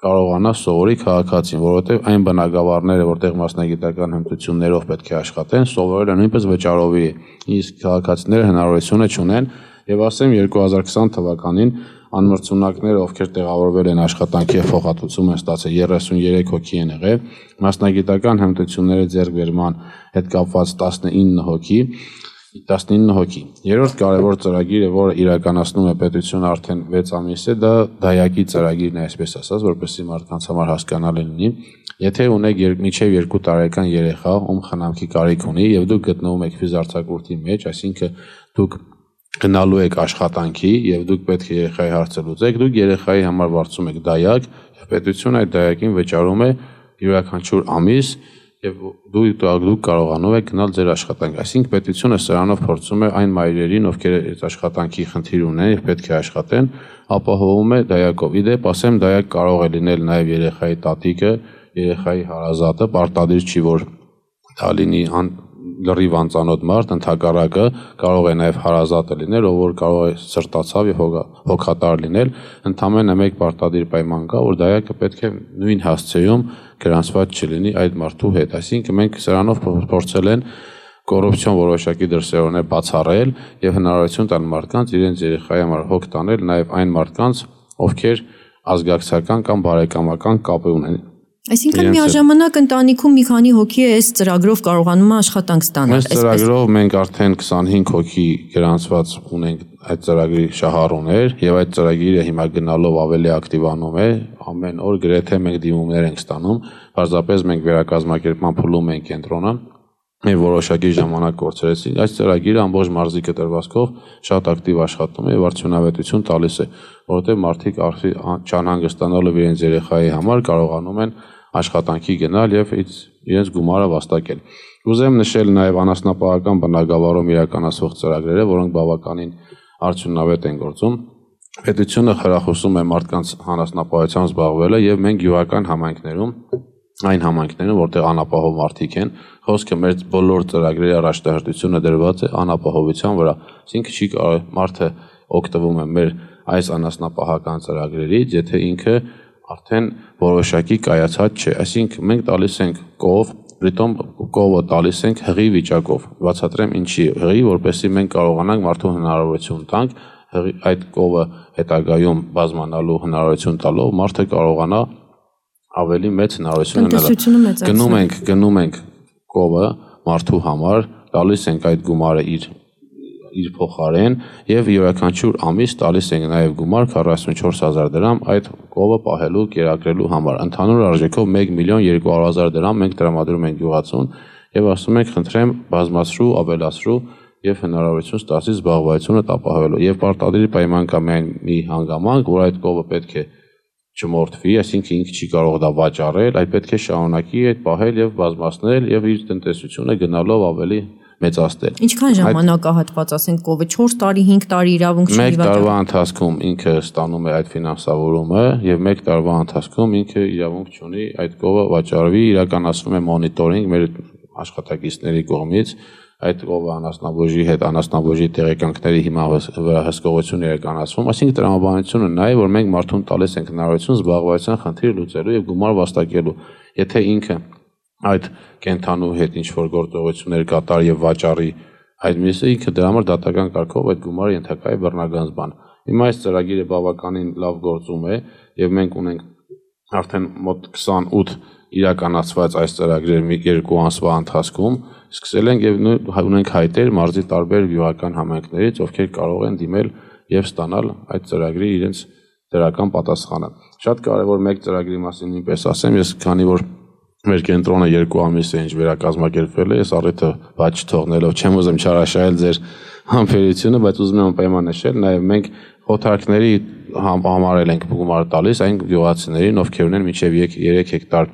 կարողանա սովորի քաղաքացին, որովհետև այն բնակավարները, որտեղ մասնագիտական հմտություններով պետք է աշխատեն, սովորելը նույնպես վճարովի է։ Իսկ քաղաքացիները հնարավորությունը չունեն եւ ասեմ 2020 թվականին անմրցունակները, ովքեր տեղավորվել են աշխատանքի եւ փոխհատուցում են ստացել 33 հոգի են եղել, մասնագիտական հմտությունների ձեռքբերման հետ կապված 19 հոգի։ Երրորդ կարևոր ծրագիրը, որը իրականացնում է պետությունը արդեն 6 ամիս է, դա դայակի ծրագիրն է, այսպես ասած, որպեսզի մարդկանց համար հասկանալի լինի։ Եթե ունեք մինչև 2 տարեկան երեխա, ում խնամքի կարիք ունի եւ դուք գտնվում եք ֆիզարձակուրդի մեջ, այսինքն դուք գնալու եք աշխատանքի եւ դուք պետք է երեխայի հարցը լուծեք, դուք երեխայի համար վարձում եք դայակ եւ պետությունը այդ դայակին վճարում է յուրաքանչյուր ամիս եւ դուք կարողանում եք գնալ ձեր աշխատանք։ Այսինքն պետությունը սրանով փորձում է այն մայրերին, ովքեր այդ աշխատանքի խնդիր ունեն եւ պետք է աշխատեն, ապահովում է դայակով։ Իդեպ ասեմ, դայակ կարող է լինել նաեւ երեխայի տատիկը, երեխայի հարազատը, պարտադիր չի որ դա լինի լրիվ անծանոթ մարդ, ընդհակառակը կարող է նաև հարազատը լինել, ով որ կարող է սրտացավ եւ հոգատար լինել, ընդամենը մեկ պարտադիր պայման կա, որ դայակը պետք է նույն հասցեում գրանցված չլինի այդ մարդու հետ։ Այսինքն մենք սրանով փորձել են կոռուպցիոն որոշակի դրսևորներ բացառել եւ հնարավորություն տալ մարդկանց իրենց երեխայի համար հոգ տանել նաև այն մարդկանց, ովքեր ազգակցական կամ բարեկամական կապ ունեն։ Այսինքն միաժամանակ ընտանիքում մի քանի հոգի է այս ծրագրով կարողանում է աշխատանք ստանալ։ Այս ծրագրով մենք արդեն 25 հոգի գրանցված ունենք այդ ծրագրի շահառուներ եւ այդ ծրագիրը հիմա գնալով ավելի ակտիվանում է։ Ամեն օր գրեթե մենք դիմումներ ենք ստանում։ Պարզապես մենք վերակազմակերպման փուլում ենք կենտրոնը։ Մենք որոշակի ժամանակ կորցրեցինք։ Այս ծրագիրը ամբողջ մարզիկը տրվածքով շատ ակտիվ աշխատում է եւ արդյունավետություն տալիս է, որովհետեւ մարդիկ չանհանգստանալով իրենց երեխայի համար կարողանում են աշխատանքի գնալ եւ իրենց գումարը վաստակել։ Ուզեմ նշել նաեւ անասնապահական բնակավարում իրականացվող ծրագրերը, որոնք բավականին արդյունավետ են գործում։ Պետությունը խրախուսում է մարդկանց անասնապահությամբ զբաղվելը եւ մենք յուղական համայնքներում այն համայնքներում, որտեղ անապահով մարդիկ են, խոսքը մեր բոլոր ծրագրերի առաջնահերթությունը դրված է անապահովության վրա։ Այսինքն չի կարող մարդը օգտվում է մեր այս անասնապահական ծրագրերից, եթե ինքը արդեն որոշակի կայացած չէ։ Այսինքն մենք տալիս ենք կով, պրիտոմ կովը տալիս ենք հղի վիճակով։ Բացատրեմ ինչի հղի, որպեսզի մենք կարողանանք մարդու հնարավորություն տանք այդ կովը հետագայում բազմանալու հնարավորություն տալով մարդը կարողանա ավելի մեծ հնարավորություն ունենալ։ Գնում ենք կովը մարդու համար, տալիս ենք այդ գումարը իր փոխարեն եւ յուրաքանչյուր ամիս տալիս ենք նաեւ գումար 44000 դրամ այդ կովը պահելու, կերակրելու համար։ Ընդհանուր արժեքով 1.200.000 դրամ մենք տրամադրում ենք գյուղացուն եւ ասում ենք խնդրեմ բազմացրու, ավելացրու եւ հնարավորություն ստացի զբաղվածությունը ապահովելու։ Եվ պարտադիր պայման կա միայն մի հանգամանք, որ այդ կովը պետք է չմորթվի, այսինքն ինքը չի կարող դա վաճառել, այլ պետք է շարունակի այդ պահել եւ բազմացնել եւ իր տնտեսությունը գնալով ավելի մեծացնել։ Ինչքան ժամանակահատված, ասենք կովը 4 տարի, 5 տարի իրավունք չի վաճառել։ 1 տարվա ընթացքում ինքը ստանում է այդ ֆինանսավորումը եւ 1 տարվա ընթացքում ինքը իրավունք չունի այդ կովը վաճառվի, իրականացվում է մոնիտորինգ մեր աշխատակիցների կողմից այդ կովը անասնաբուժի հետ անասնաբուժի տեղեկանքների հիմա վրա հսկողություն իրականացվում, այսինքն տրամաբանությունը նա է, որ մենք մարդուն տալիս ենք հնարավորություն զբաղվածության խնդիր լուծելու եւ գումար վաստակելու։ Եթե ինքը այդ կենթանու հետ ինչ որ գործողություններ կատարի եւ վաճառի այդ միսը, ինքը դրա համար դատական կարգով այդ գումարը ենթակա է բռնագանձման։ Հիմա այս ծրագիրը բավականին լավ գործում է եւ մենք ունենք արդեն մոտ 28 իրականացված այս ծրագրերը 2 ամսվա ընթացքում սկսել ենք եւ ունենք հայտեր մարզի տարբեր գյուղական համայնքներից, ովքեր կարող են դիմել եւ ստանալ այդ ծրագրի իրենց դրական պատասխանը։ Շատ կարեւոր մեկ ծրագրի մասին նույնպես ասեմ, ես քանի որ մեր կենտրոնը 2 ամիս է ինչ վերակազմակերպվել է, ես առիթը բաց չթողնելով չեմ ուզում չարաշահել ձեր համբերությունը, բայց ուզում եմ պայման նշել, նաեւ մենք խոթարքների համարել ենք գումար տալիս այն գյուղացիներին, ովքեր ունեն մինչև 3 հեկտար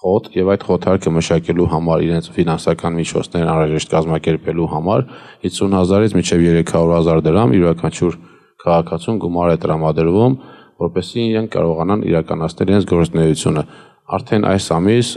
խոտ եւ այդ խոթարքը մշակելու համար իրենց ֆինանսական միջոցներն անհրաժեշտ կազմակերպելու համար 50,000-ից մինչև 300,000 դրամ յուրաքանչյուր քաղաքացուն գումար է տրամադրվում, որպեսզի իրենք կարողանան իրականացնել իրենց գործունեությունը։ Արդեն այս ամիս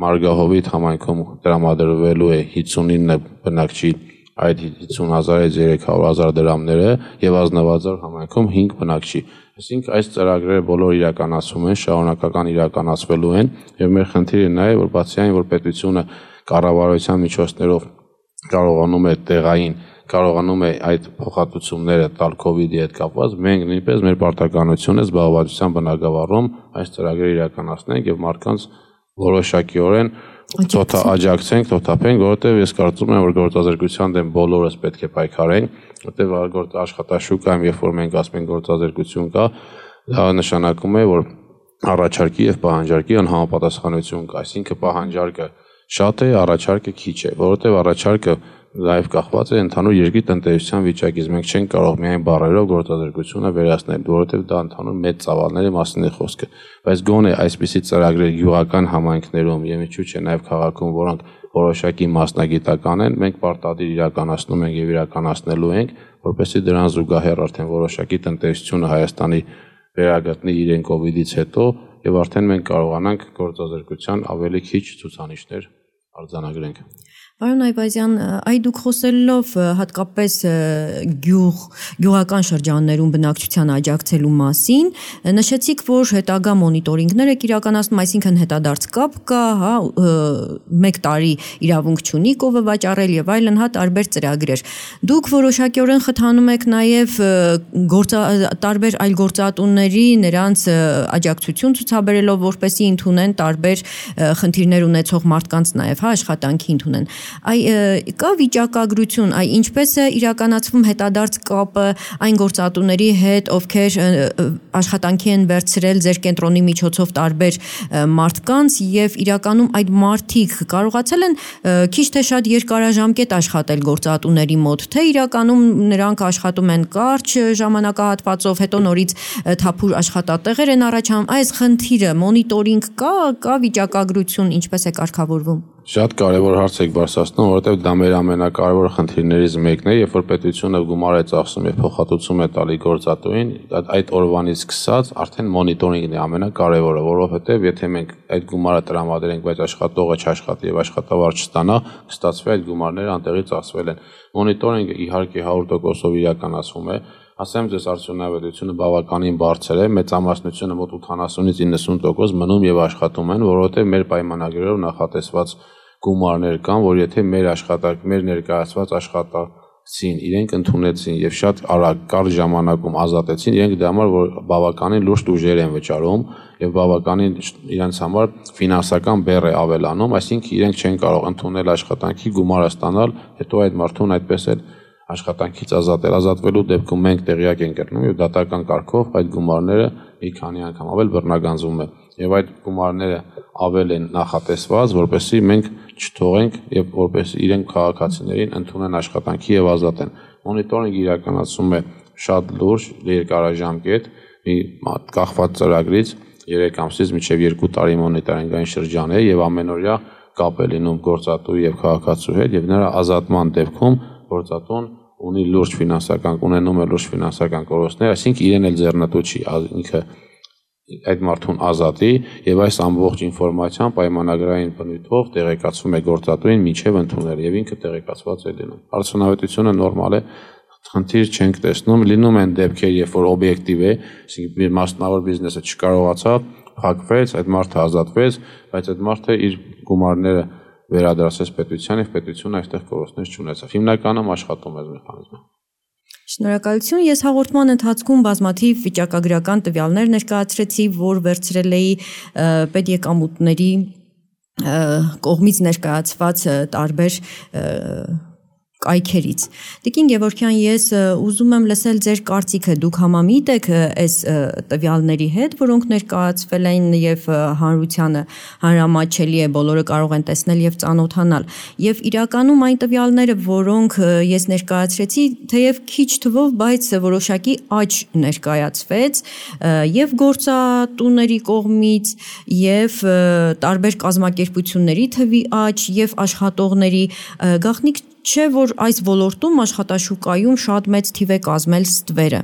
Մարգահովիտ համայնքում տրամադրվելու է 59 բնակչի այդ 50,000-ից 300,000 դրամները եւ Ազնավազար համայնքում 5 բնակչի։ Այսինքն այս ծրագրերը բոլոր իրականացվում են, շարունակական իրականացվելու են եւ մեր խնդիրը նա է, որ բացի այն, որ պետությունը կառավարության միջոցներով կարողանում է տեղային կարողանում է այդ փոխհատուցումները տալ COVID-ի հետ կապված, մենք նույնպես մեր պարտականությունը զբաղվածության բնագավառում այս ծրագրերը իրականացնենք եւ մարդկանց որոշակիորեն աջակցենք, թոթափենք, որովհետեւ ես կարծում եմ, որ գործազրկության դեմ բոլորս պետք է պայքարենք, որովհետեւ աշխատաշուկայում, երբ որ մենք ասում ենք գործազրկություն կա, դա նշանակում է, որ առաջարկի եւ պահանջարկի անհամապատասխանություն կա, այսինքն պահանջարկը շատ է, առաջարկը քիչ է, որովհետեւ առաջարկը Նաև կախված է ընդհանուր երկրի տնտեսության վիճակից։ Մենք չենք կարող միայն բառերով գործազրկությունը վերացնել, որովհետև դա ընդհանուր մեծ ծավալների մասին է խոսքը։ Բայց գոնե այսպիսի ծրագրեր գյուղական համայնքներում եւ ինչու՞ չէ նաև քաղաքում, որոնք որոշակի մասնագիտական են, մենք պարտադիր իրականացնում ենք եւ իրականացնելու ենք, որպեսզի դրան զուգահեռ արդեն որոշակի տնտեսությունը Հայաստանի վերագտնի իրեն COVID-ից հետո եւ արդեն մենք կարողանանք գործազրկության ավելի քիչ ցուցանիշներ արձանագրենք։ Պարոն Այվազյան, այ դուք խոսելով հատկապես գյուղական շրջաններում բնակչության աջակցելու մասին, նշեցիք, որ հետագա մոնիտորինգներ եք իրականացնում, այսինքն հետադարձ կապ կա, հա, 1 տարի իրավունք չունի կովը վաճառել եւ այլն, հա, տարբեր ծրագրեր։ Դուք որոշակիորեն խթանում եք նաեւ տարբեր այլ գործատուների նրանց աջակցություն ցուցաբերելով, որպեսզի ընդունեն տարբեր խնդիրներ ունեցող մարդկանց նաեւ, հա, աշխատանքի ընդունեն։ Կա վիճակագրություն, ինչպես է իրականացվում հետադարձ կապը այն գործատուների հետ, ովքեր աշխատանքի են վերցրել ձեր կենտրոնի միջոցով տարբեր մարդկանց եւ իրականում այդ մարդիկ կարողացել են քիչ թե շատ երկարաժամկետ աշխատել գործատուների մոտ, թե իրականում նրանք աշխատում են կարճ ժամանակահատվածով, հետո նորից թափուր աշխատատեղեր են առաջանում։ Այս խնդիրը մոնիտորինգ կա վիճակագրություն, ինչպես է կարգավորվում։ Շատ կարևոր հարց եք բարձրացնում, որովհետև դա մեր ամենակարևոր խնդիրներից մեկն է, երբ որ պետությունը գումար է ծախսում եւ փոխհատուցում է տալի գործատուին, այդ օրվանից սկսած արդեն մոնիտորինգն է ամենակարևորը, որովհետև եթե մենք այդ գումարը տրամադրենք, բայց աշխատողը չաշխատի եւ աշխատավարձ չստանա, կստացվի այդ գումարները անտեղի ծախսվել են։ Մոնիտորինգը իհարկե 100%-ով իրականացվում է։ Ասեմ ձեզ արդյունավետությունը բավականին բարձր է, մեծամասնությունը մոտ 80-ից 90% մնում եւ աշխատում են, որովհետեւ մեր պայմանագրերով նախատեսված գումարներ կան, որ եթե մեր ներկայացված աշխատակցին իրենք ընդունեցին եւ շատ արագ կարճ ժամանակում ազատեցին, իրենք դա համար որ բավականին լուրջ ուժեր են վճարում եւ բավականին իրենց համար ֆինանսական բեռ է ավելանում, այսինքն իրենք չեն կարող ընդունել աշխատանքի գումարը ստանալ, հետո այդ մարդուն այդպես էլ աշխատանքից ազատվելու դեպքում մենք տեղյակ ենք կրնում եւ դատական կարգով այդ գումարները մի քանի անգամ ավել բռնագանձվում է եւ այդ գումարները ավել են նախատեսված, որպեսզի մենք չթողենք եւ որպեսզի իրենք քաղաքացիներին ընդունեն աշխատանքի եւ ազատեն։ Մոնիտորինգը իրականացում է շատ լուրջ երկարաժամկետ մի կախված ծրագրից 3 ամսից մինչև 2 տարի մոնիտորինգային շրջան է եւ ամենօրյա կապ է լինում գործատուի եւ քաղաքացու հետ եւ նրա ազատման դեպքում գործատուն ունի լուրջ ֆինանսական ունենում է լուրջ ֆինանսական կորուստներ, այսինքն իրեն էլ ձեռնտու չի, ինքը այդ մարդուն ազատի եւ այս ամբողջ ինֆորմացիան պայմանագրային բնույթով տեղեկացվում է գործատուին մինչեւ ընդունել եւ ինքը տեղեկացված է լինում։ Արդյունավետությունը նորմալ է, խնդիր չենք տեսնում, լինում են դեպքեր, երբ որ օբյեկտիվ է, այսինքն մասնավոր բիզնեսը չկարողացավ, փակվեց, այդ մարդը ազատվեց, բայց այդ մարդը իր գումարները վերադարձեց պետության եւ պետությունը այստեղ կորուստներ չունեցավ։ Հիմնականում աշխատում է մեխանիզմը։ Շնորհակալություն։ Ես հաղորդման ընթացքում բազմաթիվ վիճակագրական տվյալներ ներկայացրեցի, որ վերցրել էի պետեկամուտների կողմից ներկայացված տարբեր կայքերից։ Տիկին Գևորգյան, ես ուզում եմ լսել ձեր կարծիքը, դուք համամիտ եք այս տվյալների հետ, որոնք ներկայացվել են եւ հանրությանը հանրամատչելի է, բոլորը կարող են տեսնել եւ ծանոթանալ։ Եվ իրականում այն տվյալները, որոնք ես ներկայացրեցի, թեև քիչ թվով, բայց որոշակի աճ ներկայացվեց եւ գործատուների կողմից եւ տարբեր կազմակերպությունների թվի աճ եւ աշխատողների գաղտնիք չէ, որ այս ոլորտում աշխատաշուկայում շատ մեծ թիվ է կազմել ստվերը։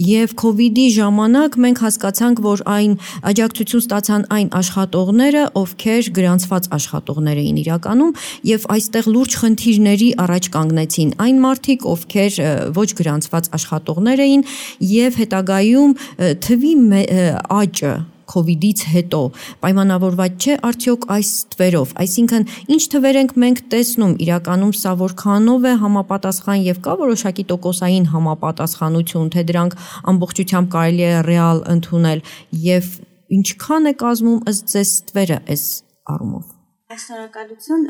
Եվ COVID-ի ժամանակ մենք հասկացանք, որ այն աջակցություն ստացան այն աշխատողները, ովքեր գրանցված աշխատողներ էին իրականում, եւ այստեղ լուրջ խնդիրների առաջ կանգնեցին այն մարդիկ, ովքեր ոչ գրանցված աշխատողներ էին, եւ հետագայում թվի աճը COVID-ից հետո պայմանավորված չէ արդյոք այս թվերով, այսինքն ինչ թվեր ենք մենք տեսնում, իրականում սա որքանով է համապատասխան եւ կա որոշակի տոկոսային համապատասխանություն, թե դրանք ամբողջությամբ կարելի է ռեալ ընդունել եւ ինչքան է կազմում ըստ ձեզ թվերը այս առումով։ Շնորհակալություն,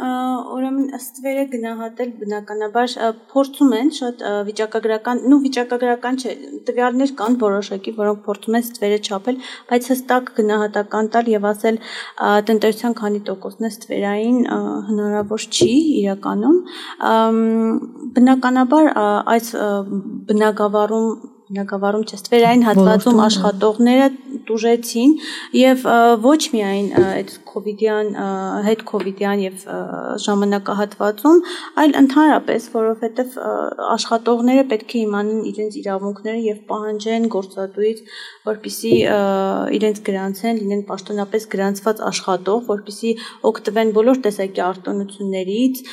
ուրեմն ստվերը գնահատել բնականաբար փորձում են շատ վիճակագրական չէ, տվյալներ կան որոշակի, որոնք փորձում են ստվերը չափել, բայց հստակ գնահատական տալ եւ ասել տնտեսության քանի տոկոսն է ստվերային հնարավոր չի իրականում, բնականաբար այս բնագավառում չէ, ստվերային հատվածում աշխատողները տուժեցին եւ ոչ միայն այդ հետ կոവിഡ്յան եւ ժամանակահատվածում, այլ ընդհանրապես, որովհետեւ աշխատողները պետք է իմանան իրենց իրավունքները եւ պահանջեն գործատուից, որպեսզի իրենց գրանցեն, լինեն պաշտոնապես գրանցված աշխատող, որպեսզի օգտվեն բոլոր տեսակի արտոնություններից,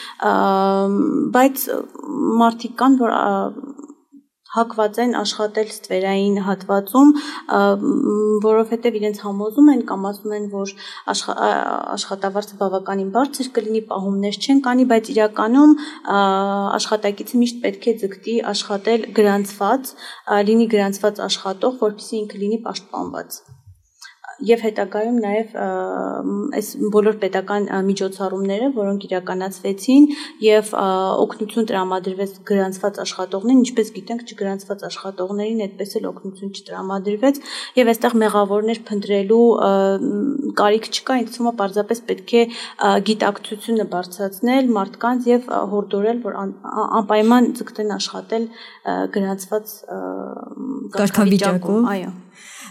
բայց մարդիկ կան, որ հակված են աշխատել ստվերային հատվածում, որովհետև իրենց համոզում են կամ ասում են, որ աշխատավարձը բավականին բարձր կլինի, պահումներ չեն կանի, բայց իրականում աշխատակիցը միշտ պետք է ձգտի աշխատել գրանցված, լինի գրանցված աշխատող, որպեսզի ինքը լինի պաշտպանված։ Եվ հետագայում նաև այս բոլոր պետական միջոցառումները, որոնք իրականացվեցին եւ օգնություն տրամադրվեց գրանցված աշխատողներին, ինչպես գիտենք, չգրանցված աշխատողներին այդպես էլ օգնություն չտրամադրվեց եւ այստեղ մեղավորներ փնտրելու կարիք չկա, ինձ թվում է պարզապես պետք է գիտակցությունը բարձրացնել մարդկանց եւ հորդորել, որ անպայման ձգտեն աշխատել գրանցված կարգավիճակում, այո։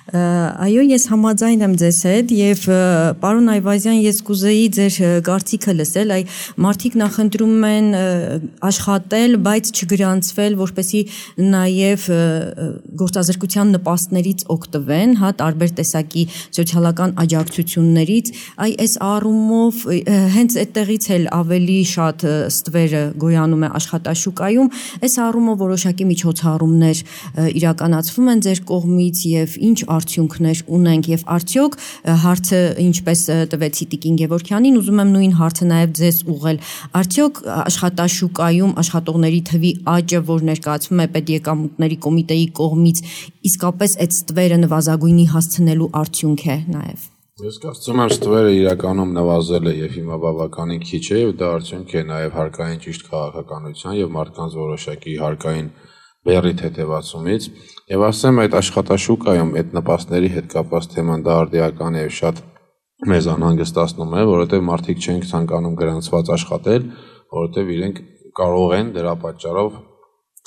Այո, ես համաձայն եմ ձեզ հետ եւ պարոն Այվազյան, ես կուզեի ձեր կարծիքը լսել, այ մարդիկ նախընտրում են աշխատել, բայց չգրանցվել, որպեսզի նաեւ գործազրկության նպաստներից օգտվեն, հա, տարբեր տեսակի սոցիալական աջակցություններից, այ այս առումով հենց այդտեղից էլ ավելի շատ ստվերը գոյանում է աշխատաշուկայում, այս առումով որոշակի միջոցառումներ իրականացվում են ձեր կողմից եւ ինչ արդյունքներ ունենք եւ արդյոք հարցը ինչպես տվեցի Տիկին Գևորգյանին, ուզում եմ նույն հարցը նաեւ ձեզ ուղղել, արդյոք աշխատաշուկայում աշխատողների թվի աճը, որ ներկայացվում է պետեկամուտների կոմիտեի կողմից, իսկապես այդ ստվերը նվազագույնի հասցնելու արդյունք է նաեւ։ Ես կարծում եմ ստվերը իրականում նվազել է եւ հիմա բավականին քիչ է եւ դա արդյունք է նաեւ հարկային ճիշտ քաղաքականության եւ մարդկանց որոշակի հարկային բերի թեթևացումից եւ ասեմ այդ աշխատաշուկայում այդ նպաստների հետ կապված թեման դա արդիական է եւ շատ մեզ անհանգստացնում է, որովհետեւ մարդիկ չեն ցանկանում գրանցված աշխատել, որովհետեւ իրենք կարող են դրա պատճառով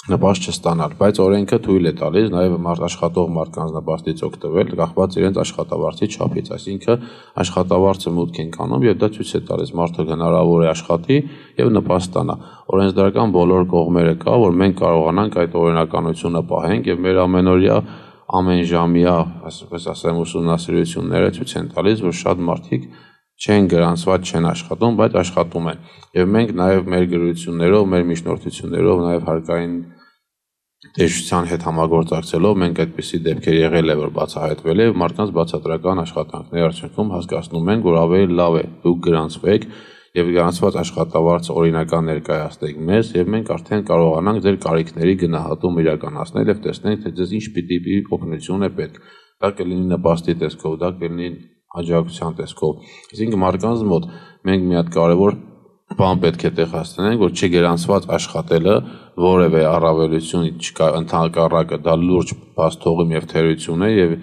նպաստ չստանալ, բայց օրենքը թույլ է տալիս նաև աշխատող մարդկանց նպաստից օգտվել, կախված իրենց աշխատավարձի չափից, այսինքն աշխատավարձը մուտք են կանում եւ դա ցույց է տալիս մարդը հնարավոր է աշխատի եւ նպաստ ստանա։ Օրենսդրական բոլոր կողմերը կա, որ մենք կարողանանք այդ օրենականությունը պահենք եւ մեր ամենօրյա ամենժամյա, այսպես ասեմ, ուսումնասիրությունները ցույց են տալիս, որ շատ մարդիկ չեն գրանցված, չեն աշխատում, բայց աշխատում են։ Եվ մենք նաև մեր գրություններով, մեր միջնորդություններով, նաև հարկային տեսչության հետ համագործակցելով մենք այդպիսի դեպքեր եղել է, որ բացահայտվել է եւ մարդկանց բացատրական աշխատանքների արդյունքում հասկացնում ենք, որ ավելի լավ է դուք գրանցվեք եւ գրանցված աշխատավարձը օրինական ներկայացնեք մեզ եւ մենք արդեն կարողանանք ձեր կարիքների գնահատում իրականացնել եւ տեսնենք թե ձեզ ինչ պիտի օգնություն է պետք։ Դա կլինի նպաստի տեսքով, դա կլինի աջակցության տեսքով։ Այսինքն մարդկանց մոտ մենք մի հատ կարևոր բան պետք է տեղ հասցնենք, որ չգրանցված աշխատելը որևէ առավելություն չկա, ընդհանրակը դա լուրջ բաստողում եւ թերություն է եւ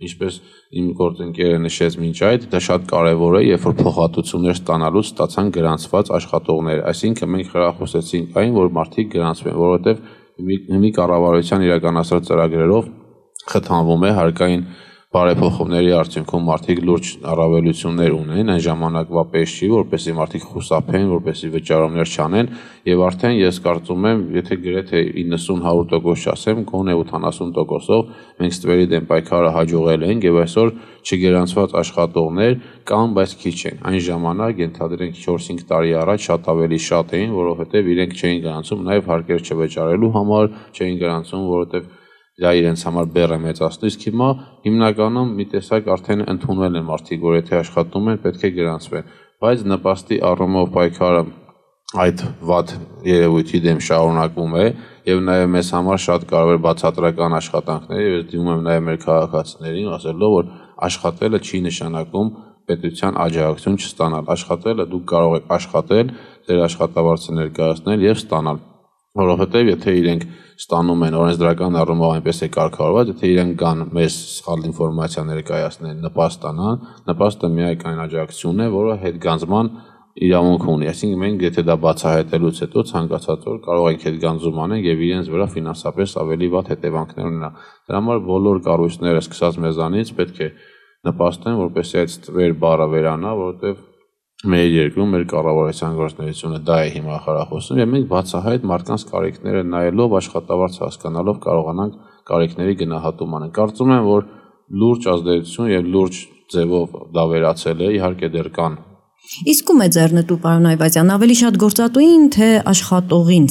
ինչպես իմ գործընկերը նշեց մինչ այդ, դա շատ կարևոր է, երբ որ փոխհատուցումներ ստանալուց ստացան գրանցված աշխատողներ։ Այսինքն մենք խրախուսեցինք այն, որ մարդիկ գրանցվեն, որովհետեւ մի կառավարության իրականացրած ծրագրերով խթանվում է հարկային բարեփոխումների արդյունքում մարդիկ լուրջ առավելություններ ունեն, այն ժամանակվա պես չի, որպեսզի մարդիկ խուսափեն, որպեսզի վճարումներ չանեն, եւ արդեն ես կարծում եմ, եթե գրեթե 90-100% չասեմ, գոնե 80%-ով մենք ստվերի դեմ պայքարը հաջողել ենք եւ այսօր չգրանցված աշխատողներ կան, բայց քիչ են։ Այն ժամանակ ենթադրենք 4-5 տարի առաջ շատ ավելի շատ էին, որովհետեւ իրենք չէին գրանցում նաեւ հարկեր չվճարելու համար, չէին գրանցում, որովհետեւ դա իրենց համար բեռ է մեծացնում, իսկ հիմա հիմնականում մի տեսակ արդեն ընդունել են մարդիկ, որ եթե աշխատում են, պետք է գրանցվեն, բայց նպաստի առումով պայքարը այդ վատ երևույթի դեմ շարունակվում է եւ նաեւ մեզ համար շատ կարեւոր բացատրական աշխատանքներ եւ ես դիմում եմ նաեւ մեր քաղաքացիներին ասելով, որ աշխատելը չի նշանակում պետության աջակցություն չստանալ, աշխատելը դուք կարող եք աշխատել, ձեր աշխատավարձը ներկայացնել եւ ստանալ, որովհետեւ եթե իրենք ստանում են օրենսդրական առումով այնպես է կարգավորված, եթե իրենք կան մեզ սխալ ինֆորմացիա ներկայացնեն, նպաստ ստանան, նպաստը միայն աջակցությունն է, որը հետգանձման իրավունք ունի, այսինքն մենք եթե դա բացահայտելուց հետո ցանկացած օր կարող ենք հետգանձում անենք եւ իրենց վրա ֆինանսապես ավելի վատ հետևանքներ ունենա։ Դրա համար բոլոր կառույցները սկսած մեզանից պետք է նպաստեն, որպեսզի այդ ստվեր բառը վերանա, որովհետեւ մեր երկրում մեր կառավարության գործունեությունը դա է հիմա խրախուսում եւ մենք բացահայտ մարդկանց կարիքները նայելով աշխատավարձ հասկանալով կարողանանք կարիքների գնահատում անենք։ Կարծում եմ, որ լուրջ ազդեցություն եւ լուրջ ձևով դա վերացել է, իհարկե դեռ կան։ Իսկ ում է ձեռնտու, պարոն Այվազյան, ավելի շատ գործատուին, թե աշխատողին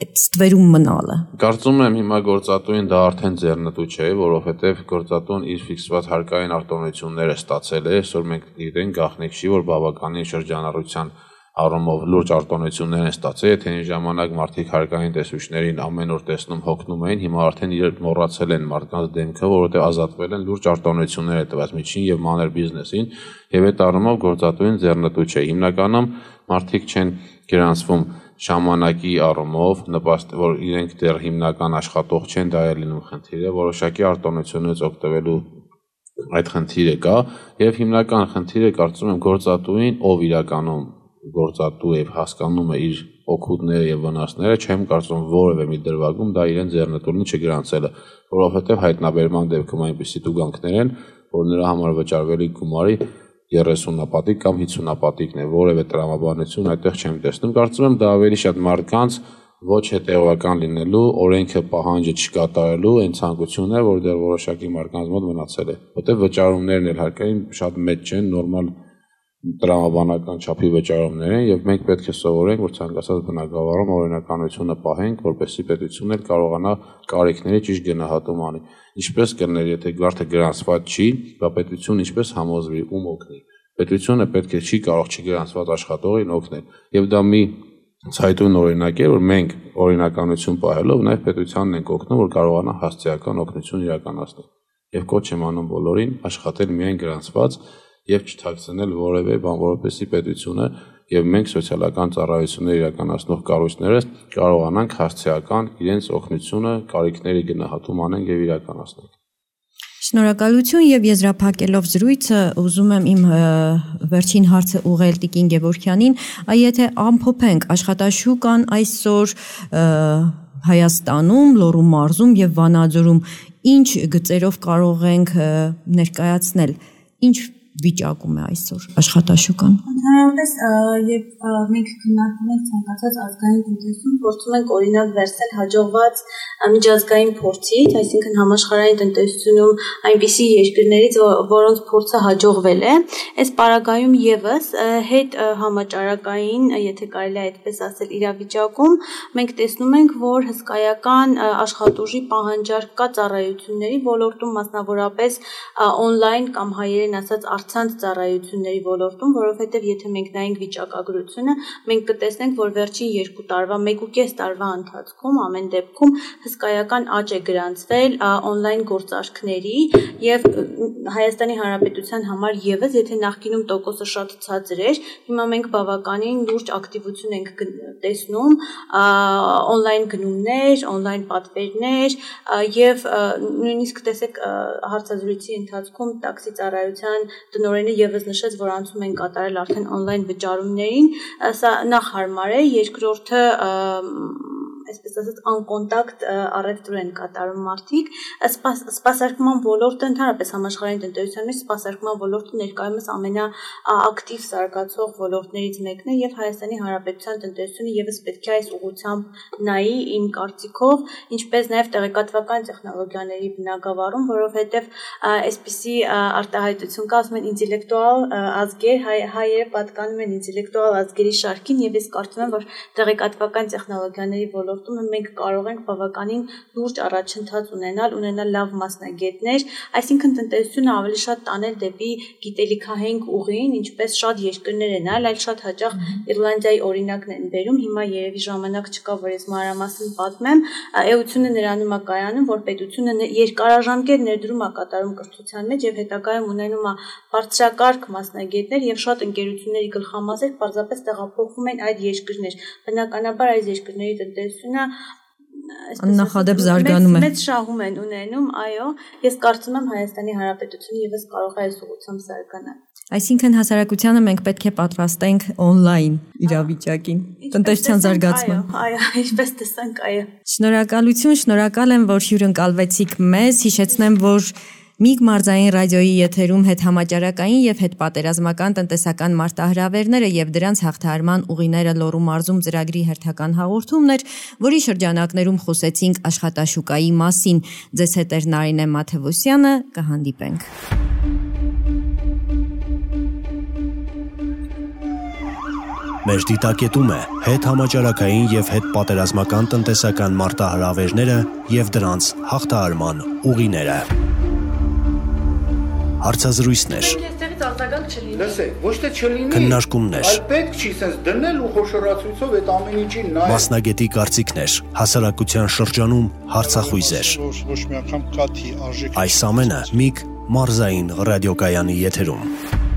այդ ստվերում մնալը։ Կարծում եմ հիմա գործատուին դա արդեն ձեռնտու չէ, որովհետև գործատուն իր ֆիքսված հարկային արտոնությունները ստացել է, այսօր մենք գիտենք գաղտնիք չի, որ բավականին շրջանառության առումով լուրջ արտոնություններ են ստացել, եթե այն ժամանակ մարդիկ հարկային տեսուչներին ամեն օր տեսնում հոգնում էին, հիմա արդեն իրենք մոռացել են մարդկանց դեմքը, որովհետև ազատվել են լուրջ արտոնություններ է տված միջին եւ մանր բիզնեսին, եւ այդ առումով գործատուին ձեռնտու չէ։ Հիմնականում մարդիկ չեն գրանցվում ժամանակի առումով, նպաստ որ իրենք դեռ հիմնական աշխատող չեն, դա է լինում խնդիրը, որոշակի արտոնությունից օգտվելու այդ խնդիրը կա եւ հիմնական խնդիրը կարծում եմ գործատուին, ով իրականում գործատու եւ հասկանում է իր օգուտները եւ վնասները, չեմ կարծում որևէ մի դրվագում դա իրեն ձեռնտու չգրանցելը, որովհետեւ հայտնաբերման դեպքում այնպիսի տուգանքներ են, որ նրա համար վճարվելի գումարի 30-ապատիկ կամ 50-ապատիկն է, որևէ տրամաբանություն այդտեղ չեմ տեսնում։ Կարծում եմ դա ավելի շատ մարդկանց ոչ հետևական լինելու, օրենքը պահանջը չկատարելու այն ցանկությունն է, որ դեռ որոշակի մարդկանց մոտ մնացել է։ Որտեղ վճարումներն էլ հարկային շատ մեծ չեն, նորմալ տրամաբանական չափի վճարումներ են եւ մենք պետք է սովորենք, որ ցանկացած բնակավարում օրենականությունը պահենք, որպեսզի պետությունն էլ կարողանա կարիքների ճիշտ գնահատում անի։ Ինչպես կլներ, եթե գարթը գրանցված չի, դա պետությունը ինչպես համոզվի, ում օգնի։ Պետությունը պետք է չի կարող չգրանցված աշխատողին օգնել։ Եվ դա մի ցայտուն օրինակ է, որ մենք օրինականություն պահելով նաեւ պետությանն ենք օգնում, որ կարողանա հասցեական օգնություն իրականացնել։ Եվ կոչ եմ անում բոլորին աշխատել միայն գրանցված եւ չթաքցնել որևէ բան, որովհետեւ պետությունը եւ մենք սոցիալական ծառայություններ իրականացնող կառույցները կարողանանք հասցեական իրենց օգնությունը, կարիքների գնահատում անենք եւ իրականացնենք։ Շնորհակալություն եւ եզրափակելով զրույցը ուզում եմ իմ վերջին հարցը ուղղել Տիկին Գևորգյանին, եթե ամփոփենք աշխատաշուկան այսօր Հայաստանում, Լոռու մարզում եւ Վանաձորում ինչ գծերով կարող ենք ներկայացնել, ինչ վիճակում է այսօր աշխատաշուկան։ Ընդհանրապես եւ մենք քննարկում ենք ցանկացած ազգային տնտեսություն, փորձում ենք օրինակ վերցնել հաջողված միջազգային փորձից, այսինքն համաշխարհային տնտեսությունում այնպիսի երկրներից, որոնց փորձը հաջողվել է, այս պարագայում եւս հետ համաճարակային, եթե կարելի է այդպես ասել, իրավիճակում մենք տեսնում ենք, որ հսկայական աշխատուժի պահանջարկ կա ծառայությունների ոլորտում, մասնավորապես on-line կամ հայերեն ասած առցանց ծառայությունների ոլորտում, որովհետև եթե մենք նայենք վիճակագրությունը, մենք կտեսնենք, որ վերջին 2 տարվա, 1.5 տարվա ընթացքում ամեն դեպքում հսկայական աճ է գրանցվել on-line գործարքների եւ Հայաստանի Հանրապետության համար եւս, եթե նախկինում տոկոսը շատ ցածր էր, հիմա մենք բավականին լուրջ ակտիվություն ենք տեսնում, on-line գնումներ, on-line պատվերներ եւ նույնիսկ տեսեք հարցազրույցի ընթացքում տաքսի ծառայության տնօրենը եւս նշեց, որ անցում են կատարել արդեն on-line վճարումներին, սա նախ հարմար է, երկրորդը այսպես ասած անկոնտակտ առևտուր են կատարում մարդիկ, սպասարկման ոլորտը ընդհանրապես համաշխարհային տնտեսության մեջ սպասարկման ոլորտը ներկայումս ամենաակտիվ զարգացող ոլորտներից մեկն է եւ Հայաստանի Հանրապետության տնտեսությունը եւս պետք է այս ուղղությամբ նայի իմ կարծիքով, ինչպես նաեւ տեղեկատվական տեխնոլոգիաների բնագավառում, որովհետեւ այսպիսի արտահայտություն կա, ասում են ինտելեկտուալ ազգեր, հայերը պատկանում են ինտելեկտուալ ազգերի շարքին եւ ես կարծում եմ, որ տեղեկատվական տեխնոլոգիաների ոլորտում մենք կարող ենք բավականին լուրջ առաջընթաց ունենալ լավ մասնագետներ, այսինքն տնտեսությունը ավելի շատ տանել դեպի գիտելիքահենք ուղին, ինչպես շատ երկրներ են, այլ շատ հաճախ Իռլանդիայի օրինակն են բերում, հիմա երևի ժամանակ չկա, որ ես մանրամասն պատմեմ, էությունը նրանում է կայանում, որ պետությունը երկարաժամկետ ներդրում է կատարում կրթության մեջ եւ հետագայում ունենում է բարձրակարգ մասնագետներ եւ շատ ընկերությունների գլխամասեր պարզապես տեղափոխվում են այդ երկրներ, բնականաբար այս երկրների տնտեսությունը աննախադեպ զարգանում է։ Մեծ շահում են ունենում, այո, ես կարծում եմ Հայաստանի Հանրապետությունը եւս կարող է այս ուղղությամբ զարգանալ։ Այսինքն հասարակությանը մենք պետք է պատրաստենք on-line իրավիճակին, տնտեսության զարգացման։ Այո, ինչպես տեսանք, այո։ Շնորհակալություն, շնորհակալ եմ, որ հյուրընկալվեցիք մեզ, հիշեցնեմ, որ Միգ մարզային ռադիոյի եթերում հետհամաճարակային եւ հետպատերազմական տնտեսական մարտահրավերները եւ դրանց հաղթահարման ուղիները Լոռու մարզում ծրագրի հերթական հաղորդումն էր, որի շրջանակներում խոսեցինք աշխատաշուկայի մասին։ Ձեզ հետ էր Նարինե Մաթևոսյանը, կհանդիպենք։ Մեր դիտակետում է հետհամաճարակային եւ հետպատերազմական տնտեսական մարտահրավերները եւ դրանց հաղթահարման ուղիները։ Հարցազրույցներ, լսեք, ոչ թե չլինի, քննարկումներ, այլ պետք չի sense դնել ու խոշորացույցով այդ ամեն ինչին նայել։ մասնագետի կարծիքներ, հասարակության շրջանում հարցախույզեր։ Ոչ մի անգամ կաթի արժեք։ Այս ամենը Միգ մարզային ռադիոկայանի եթերում։